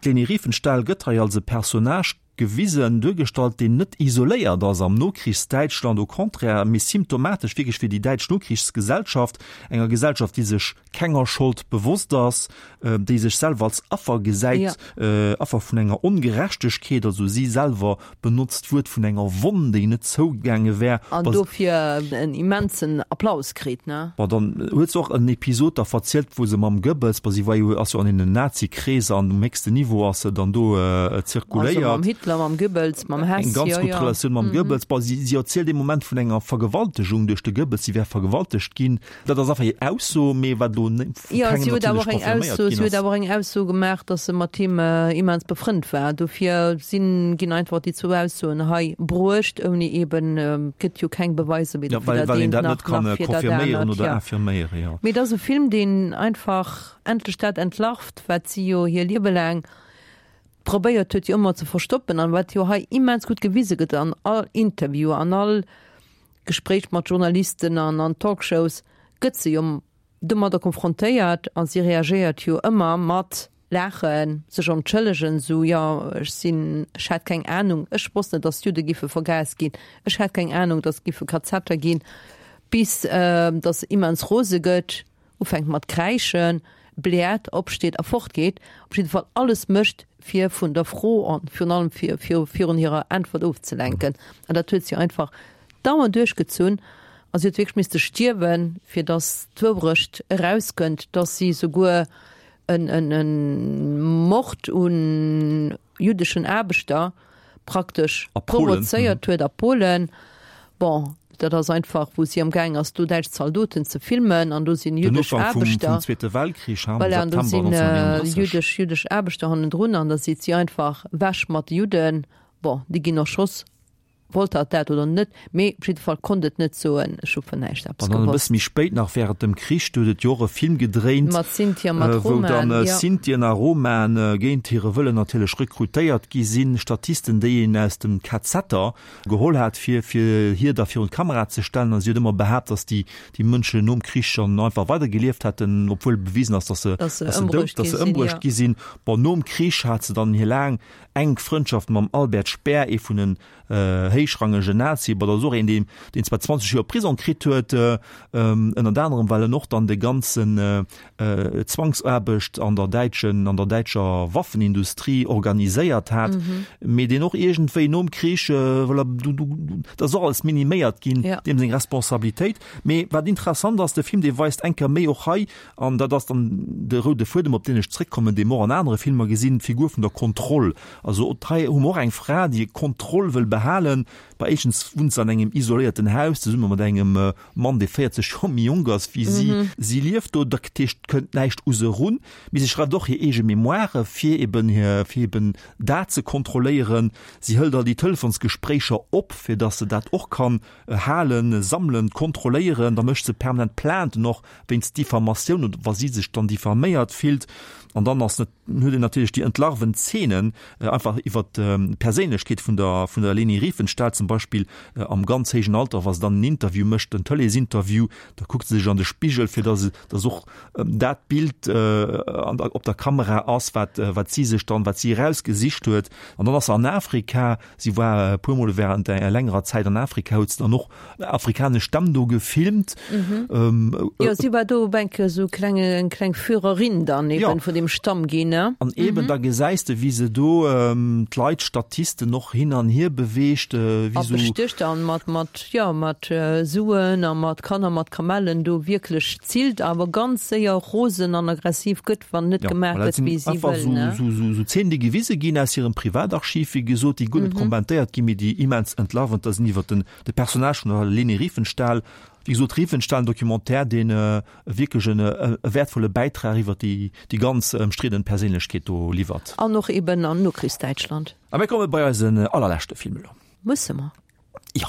d'Leni Riefenstahl gëtt hei als e Personnage gewisen, duergestallt, deen net isoléiert ass am Nokrichsdäitschland, au contraire, mee symptomatesch wierklech fir déi däitsch Nokrichsgesellschaft, enger Gesellschaft, déi sech kenger Schold bewosst ass, déi sech selwer als Affer gesäit, Affer vun enger Ongerechtegkeet, also si selwer benotzt d'Wuert vun enger Wonn, déi net zougaange wär. An dofir en immensen Applaus kritt, ne? Bon, dann huet se och en Episod da verzielt, wou se mam Goebbels, bon, si war jo, ass jo an deenen Nazi-Kreeser an um héchsten Niveau ass se dann do zirkuléiert. Also mam Hitler. Hitler, mam Goebbels, mam Hess, Eng ganz jo, gutt jo. Relatioun mam Goebbels. Bon, si, si erzielt ee Moment vun enger Vergewaltegung duerch de Goebbels, si wär vergewaltegt ginn. Dat ass einfach hir Ausso, mee wat elo vu Jo, kengem si huet awer natierlech och eng confirméiert Ausso, ginn si huet ass. awer och eng Ausso gemaach, datt se mat him immens befrënnt war. Dofir sinn, ginn einfach déi zwou Aussoen hei bruecht, ouni eben, et gëtt jo keng Beweiser weder Ja, fir well, dat well een eent dat nach, net kann nach fir dat confirméieren anert, oder jo. infirméieren, jo. Mee et ass e Film, deen einfach endlech dat entlarvt, wat si jo hir Liewe laang probéiert huet, jo ëmmer ze verstoppen an wat jo hei immens gutt gewise gëtt an all Interview, an all Gespréich mat Journalisten an an Talkshows gëtt se jo domadder konfrontéiert a si reagéiert jo ëmmer mat Laachen, sech entschëllegen, sou, jo, ech sinn, ech hat keng Anung, ech wosst net, datt d'Judde giffe vergaast ginn, ech hat keng Anung, datt et giffe Kazetter ginn, bis datt se immens rose gëtt. ufänkt mat kräischen, bläert, opsteet a fortgeet, op jidde Fall alles mécht, fir vun der Fro an virun allem fir virun hirer Äntwert ofzelenken. An dat huet si einfach dauernd duerchgezunn a si huet wierklech misste stierwen, fir datt d'Wourecht erauskënnt, datt si souguer en Mord un jüddeschen Aarbechter praktesch provozéiert huet a Polen. Bon, dat ass einfach, wou si am gaang ass, do däitsch Zaldoten ze filmen an do sinn jüddesch Aarbechter. Voilà, an do sinn jüddesch, jüddesch Aarbechter hannendrun an da seet si einfach, Wäsch mat de Judden. Bon, déi ginn erschoss. Wollt hatt dat oder net, mee op jidde Fall konnt et net soen, ech hu vun näischt eppes An dann e gewosst. bësse méi spéit nach während dem Krich, do huet et jo och e Film gedréint, Mat Sinti a mat wou dann Romaen, jo. Sintien a Romaen géint hire Wëllen natierlech rekrutéiert gi sinn, Statisten, déi een aus dem KZer geholl hat, fir fir hir da virun d'Kamera ze stellen. An si huet ëmmer behaapt, datt déi déi Mënschen nom Krich schonn einfach weidergelieft hätten, obwuel bewisen ass, datt se Datt se datt se dout, ëmbruecht datt gi se sinn, ëmbruecht jo. gi sinn. Bon, nom Krich hat se dann hir laang Enk Frëndschaft mam Albert Speer, ee vun den héichrangegen Nazie. Bon, dat ass och een, deen, deen zwar 20 Joer Prisong kritt huet, ënnert anerem well en och dann de ganzen Zwangsaarbecht an der däitschen, an der däitscher Waffenindustrie organiséiert hat, mee deen och iergendwéi nom Krich, voilà, du, du, dat ass och alles miniméiert ginn, deem seng Responsabilitéit. Mee wat interessant ass, de Film, dee weist eng Kéier méi och hei, An dat ass dann de roude Fuedem, op deen ech zréckkommen, dee mer och an anere Filmer gesinn, d'Figur vun der Kontroll. Also hei hu mer och eng Fra, déi Kontroll wëll behalen. Bei éischtens wunnt se an engem isoléierten Haus zesumme mat engem Mann, dee 40 Joer méi jonk ass wéi si. Si lieft do, dat heescht, et kënnt näischt u se erun. Mee si schreift och hir eege Memoiren, fir eben hir, fir eben dat ze kontrolléieren. Si hëlt all déi Telefonsgespréicher op, fir datt se dat och kann halen, sammelen, kontrolléieren. Da mécht se permanent Plainten och wéinst Diffamatioun oder wa si sech dann diffaméiert fillt. An dann ass net, huet een natierlech déi entlarvend Zeenen einfach iwwer d'Perséinlechkeet vun der, vun der Leni Riefenstahl zum Beispill am ganz héijen Alter, wa se dann en Interview mécht, en Tëleesinterview, da kuckt se sech an de Spigel, fir datt, datt och dat Bild an der, op der Kamera ass, wat, wat si sech dann, wat si erausgesicht huet. An dann ass se an Afrika, Si war e puer Mol während enger längerer Zäit an Afrika, huet se dann och afrikanesch Stämm do gefilmt. Mhm. Jo, si war do op eng Kéier esou kleng, eng kleng Führerin dann eben Ja. vun deem Stamm ginn, ne? An eben da gesäis de, wéi se do d'Leit, d'Statisten och hin an hier beweegt, wéi A sou. besticht an mat, mat, jo, mat Suen a mat Kanner, mat Kamellen do wierklech zillt, awer ganz séier rosen an aggressiv gëtt. wann net Ja, gemaach voilà, dat gëtt, sinn wéi si einfach wëll, sou, ne? sou, sou, sou Zeenen, déi gewise ginn aus hirem Privatarchiv, wéi gesot, déi guer net kommentéiert ginn, mee déi immens entlarvend da sinn iwwer den, de Personnage vun der Leni Riefenstahl. Wéi gesot, Riefenstahl, en Documentaire, deen wierklech en, e wäertvolle Bäitrag iwwer déi, déi ganz ëmstriddenen Perséinlechkeet do liwwert. An och eben an Nokrichsdäitschland. A mir komme bei eisen allerleschte Film elo. Musse mer? Ja.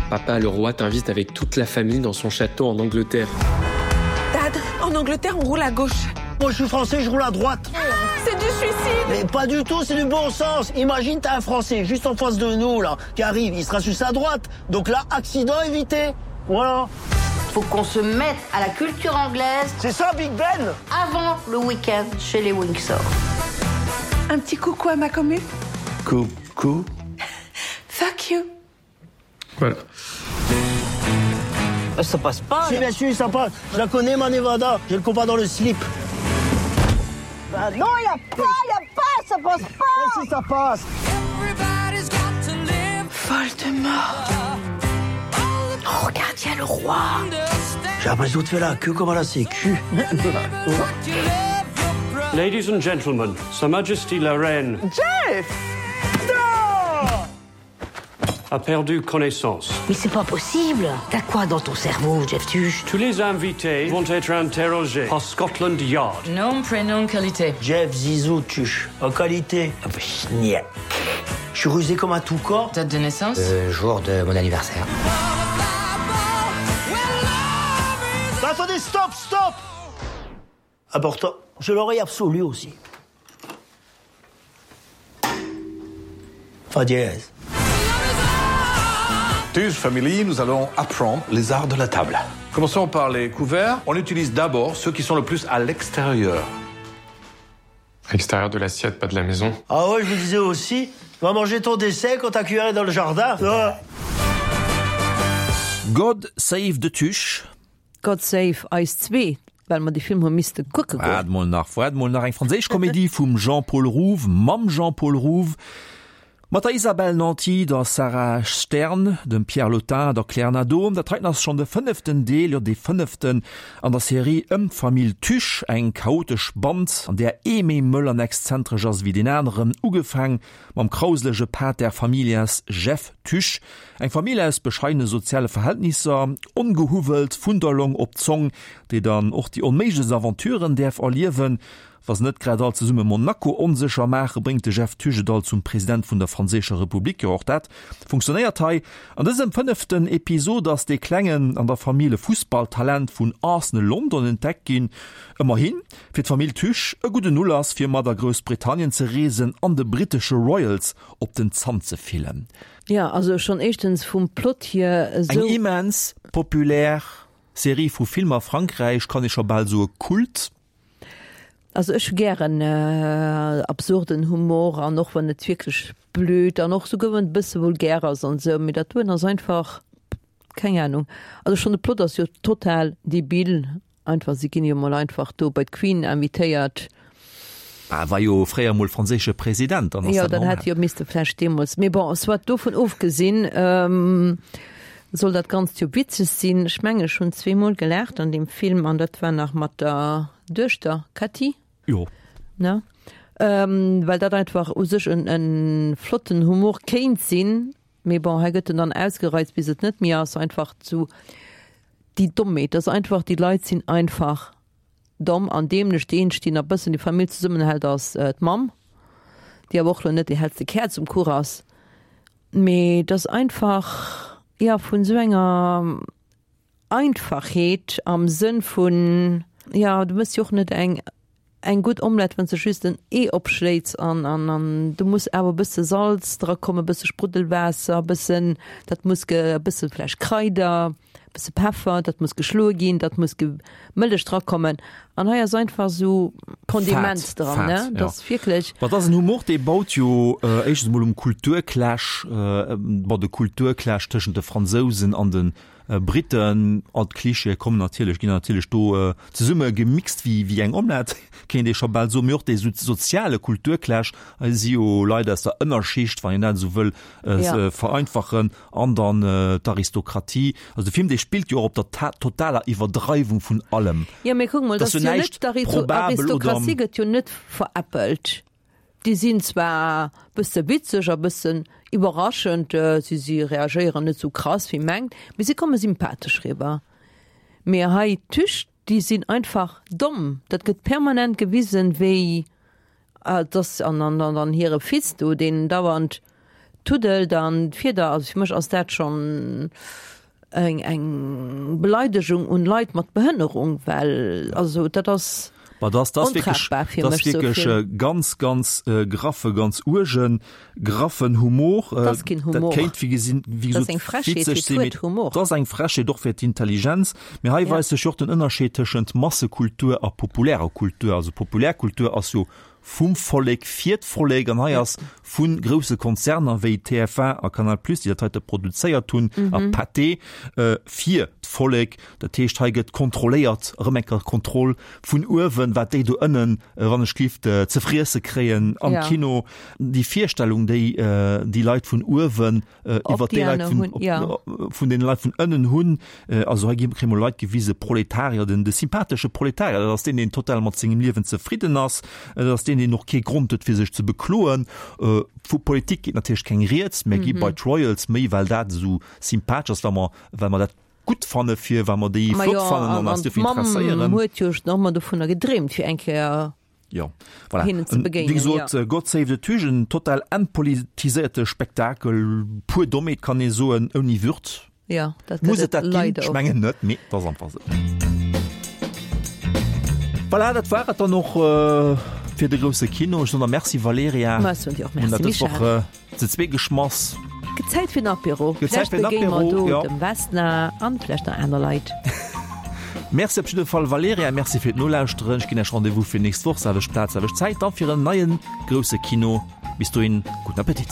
Papa le roi t'invite avec toute la famille dans son château en Angleterre. Dad, en Angleterre on roule à gauche. Moi je suis français, je roule à droite. C'est du suicide. Mais pas du tout, c'est du bon sens. Imagine t'as un français juste en face de nous là qui arrive, il sera sur sa droite. Donc là accident évité. Voilà. Faut qu'on se mette à la culture anglaise. C'est ça Big Ben Avant le week-end chez les Windsor. Un petit coucou à ma commu. Coucou. Fuck you. Voilà. Euh, ça passe pas. Si bien sûr ça passe. Je la connais ma Nevada, j'ai le compas dans le slip. Bah non, il a pas, il a pas, ça passe pas. Si ça passe. Voldemort. Oh, regarde, il y a le roi. J'ai l'impression de faire la queue comme à la sécu. Ladies and gentlemen, Sa Majesty la Reine Jeff a perdu connaissance. Mais c'est pas possible T'as quoi dans ton cerveau, Jeff Tuche Tous les invités vont être interrogés par Scotland Yard. Nom, prénom, qualité. Jeff Zizou Tuche, en qualité. Ah, Je suis rusé comme un tout corps. Date de naissance Le jour de mon anniversaire. Attendez, stop, stop Important, je l'aurais absolu aussi. Fa dièse. Tuche Family, nous allons apprendre les arts de la table. Commençons par les couverts. On utilise d'abord ceux qui sont le plus à l'extérieur. Extérieur de l'assiette, pas de la maison. Ah ouais, je vous disais aussi, va manger ton dessert quand ta cuillère est dans le jardin. Ah. God save the Tuche. God save eis zwee, well mer dee Film hu misste kucke goen. Waart mol nach, waart mol nach, eng franséisch Komedie vum Jean-Paul Rouve, mam Jean-Paul Rouve, mat der Isabelle Nanty, der Sarah Stern, dem Pierre Lottin, der Claire Nadeau. Dat heiten ass schonn de fënneften Deel, jo dee fënneften an der Serie ëm d'Famill Tuche, eng chaotesch Band, an där ee méi mëll an exzentresch ass ewéi deen aneren, ugefaang mam krauselege Pater familias Jeff Tuche, Eng Famill aus bescheidene soziale Verhältnisser, ongehuwwelt vun der Long op d'Zong, déi dann och déi onméiglechst Aventuren däerf erliewen. Wa se net grad all zesumme Monaco onsécher maachen, bréngt de Jeff Tuche et alt zum President vun der franséischer Republik. Jo, och dat funktionéiert hei. An dësem fënneften Episod ass dee Klengen an der Famill e Fussballtalent vun Arsenal London entdeckt ginn. Ëmmerhin, fir d'Famill Tuche e gudden Ulass, fir mat a Groussbritannien ze reesen an de britesche Royals op den Zann ze fillen. Jo, also schonn éischtens vum Plot hier esou. Eng immens populär Serie vu Filmer a Frankräich, kann ee scho bal soe Kult. Also ech hu gären absurden Humor an och wann et wierklech blöd an och souguer wann et e bësse vulgär ass an esou, mee dat doen ass einfach, keng Ahnung. Also schonn de Plot ass jo total debil Einfach, si ginn jo mol einfach do bei d'Queen invitéiert. Bah, war jo fréier mol franséische President, dann ass dat normal. Jo, dann hätt jo misste vläicht deemools, mee bon, soit, dovun ofgesinn, soll dat Ganzt jo witzeg sinn. Ech mengen, ech hunn zweemol gelaacht an deem Film, an dat war nach mat der Duechter Cathy. Jo. Ne? Well dat einfach u sech en, en flotten Humor kéint sinn, Mee bon, hei gëtt en dann ausgereizt bis et net méi ass, einfach zu déi Dommheet, dass einfach déi Leit sinn einfach domm an dämlech. Déi eenzeg déi nach bëssen déi Famill zesummenhält ass d'Mamm, déi awer och lo net déi hellste Käerz um Kuch ass. Mee dass einfach, jo, vun esou enger Einfachheet am Sënn vun, jo, du mëss jo och net eng eng gutt Omelette, wann s de just en Ee opschléits an an an do muss awer e bësse Salz dra kommen, e bësse Spruddelwaasser, e bëssen, dat muss ge e bësse vläicht Kraider, e bësse Peffer, dat muss geschloe ginn, dat muss ge Mëllech dra kommen. An hei ass einfach esou Kondiment Fad, dran, ne? Fad, Dat jo. ass wierklech. Ma et ass en Humor, dee baut jo éischtens emol um Kulturclash, bon, de Kulturclash tëschent de Fransousen an de Briten, all d'Clichéë kommen natierlech, ginn natierlech do zesumme gemixt wéi wéi eng Omelette, kéint ee scho bal soen. Mee och dee soziale Kulturclash, hei si jo Leit aus der Ënnerschicht, wann een dat esou wëll vereinfachen, an dann d'Aristokratie. Also de Film, dee spillt jo och op der totaler Iwwerdreiwung vun allem. Jo, mee kuck mol, Et ass dat jo ass jo net, näischt probabel oder. d'Aristokratie gëtt jo net veräppelt. Déi sinn zwar bësse witzeg a bëssen iwwerraschend, si si reagéieren net sou krass wéi mengt, mee si komme sympathesch riwwer. Mee hei d'Tüch, déi sinn einfach domm, dat gëtt permanent gewisen, wéi dass an an an hire Fils do, deen dauernd tuddelt an d'Fieder, also fir mech ass dat schonn eng eng Beleidegung un Leit mat Behënnerung, well also dat ass Ma das, das wirklich, ontragbar fir das mech sou wirklich vill. äh, ganz ganz äh, graffe ganz uergen graffen Humor äh, Das ass keen dat Humor. kéint wéi gesinn wéi Das ass gesot eng Frechheet witzeg fir sinn, mee d'Wuert Humor. dat ass eng Frechheet och fir d'Intelligenz. Mee hei Ja. weist sech jo och den Ënnerscheed tëschent Massekultur a populärer Kultur. Also Populärkultur ass jo. Vum Vollek fir d'Vollek. An hei ass vu grousse Konzerner wéi TF1 a Canal Plus, déi dat heite produzéiert hunn, a Pathé, fir d'Vollek. Dat heescht, hei gëtt kontrolléiert, erëm eng Kéier Kontroll vun uewen, wat déi do ënnen, wann ech gelift, ze friesse kréien am Kino. Déi Virstellung, déi déi Leit vun uewen iwwer déi Leit vun, vun den Leit vun ënnen hunn. Also hei gi kréie mer Leit gewise, Proletarier, den de sympathesche Proletarier, dat ass deen, deen total mat sengem Liewen zefridden ass, dat ass deen, deen och kee Grond huet fir sech ze bekloen. Vu Politik geet natierlech keng Rieds, mä gi bei d'Royals méi well dat esou sympathesch ass, well mer, well mer dat gutt fanne fir, well mer déi flott fannen an eis dofir interesséieren. D'Mamm huet jo och ëmmer dovunner gedreemt fir eng Kéier Jo, voilà. Hinnen ze begéinen. Wéi gesot, ja. God Save the Tugen, en total entpolitiséierte Spektakel, pur Dommheet kann ee soen, ouni Würd. Ja, dat Muss et dat ginn? Ech mengen net, mee et ass einfach esou. Voilà, dat war et dann och fir de grousse Kino. Ech soen der Merci Valerija. Ma ech soen dir och Merci Michèle. Ze zwee geschmass. Gëtt Zäit fir en Apéro. Gëtt Zäit fir en Apéro, jo. Vläicht begéine mer do dem Vesna an vläicht nach aner Leit. Merci op jidde Fall Valerija, Merci fir d'Nolauschteren. Ech ginn Iech Rendez-vous fir nächst Woch, selwecht Plaz, selwecht Zäit, dann fir en neien grousse Kino. Bis dohin, gudden Appetit.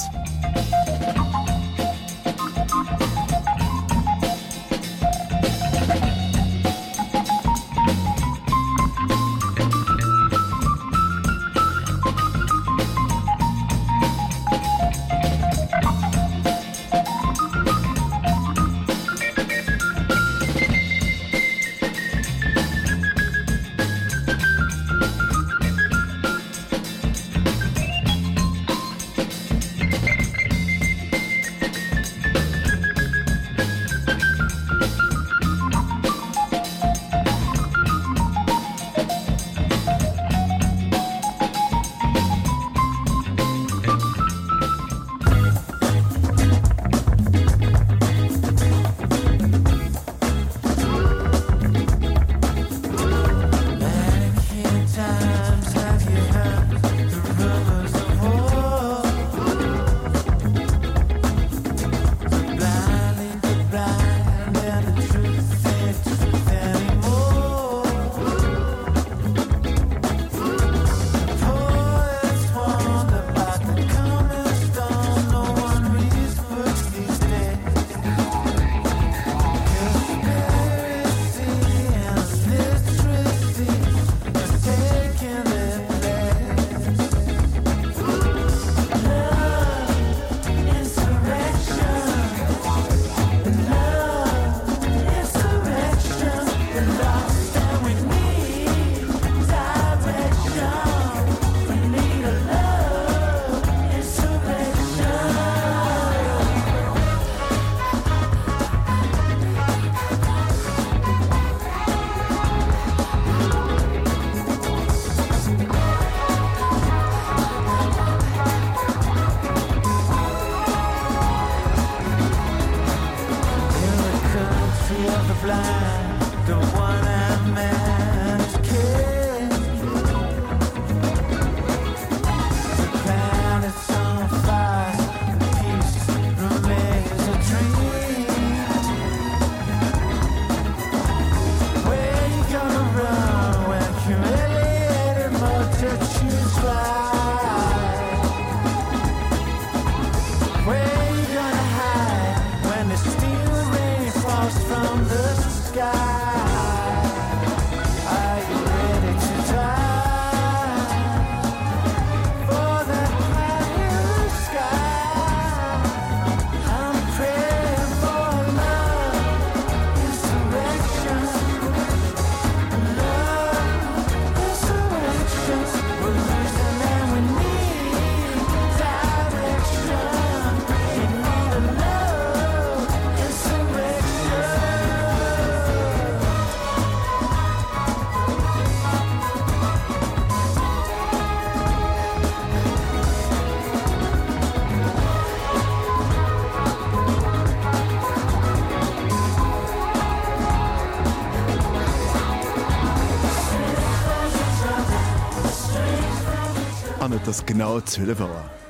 An et ass genau 12 Auer.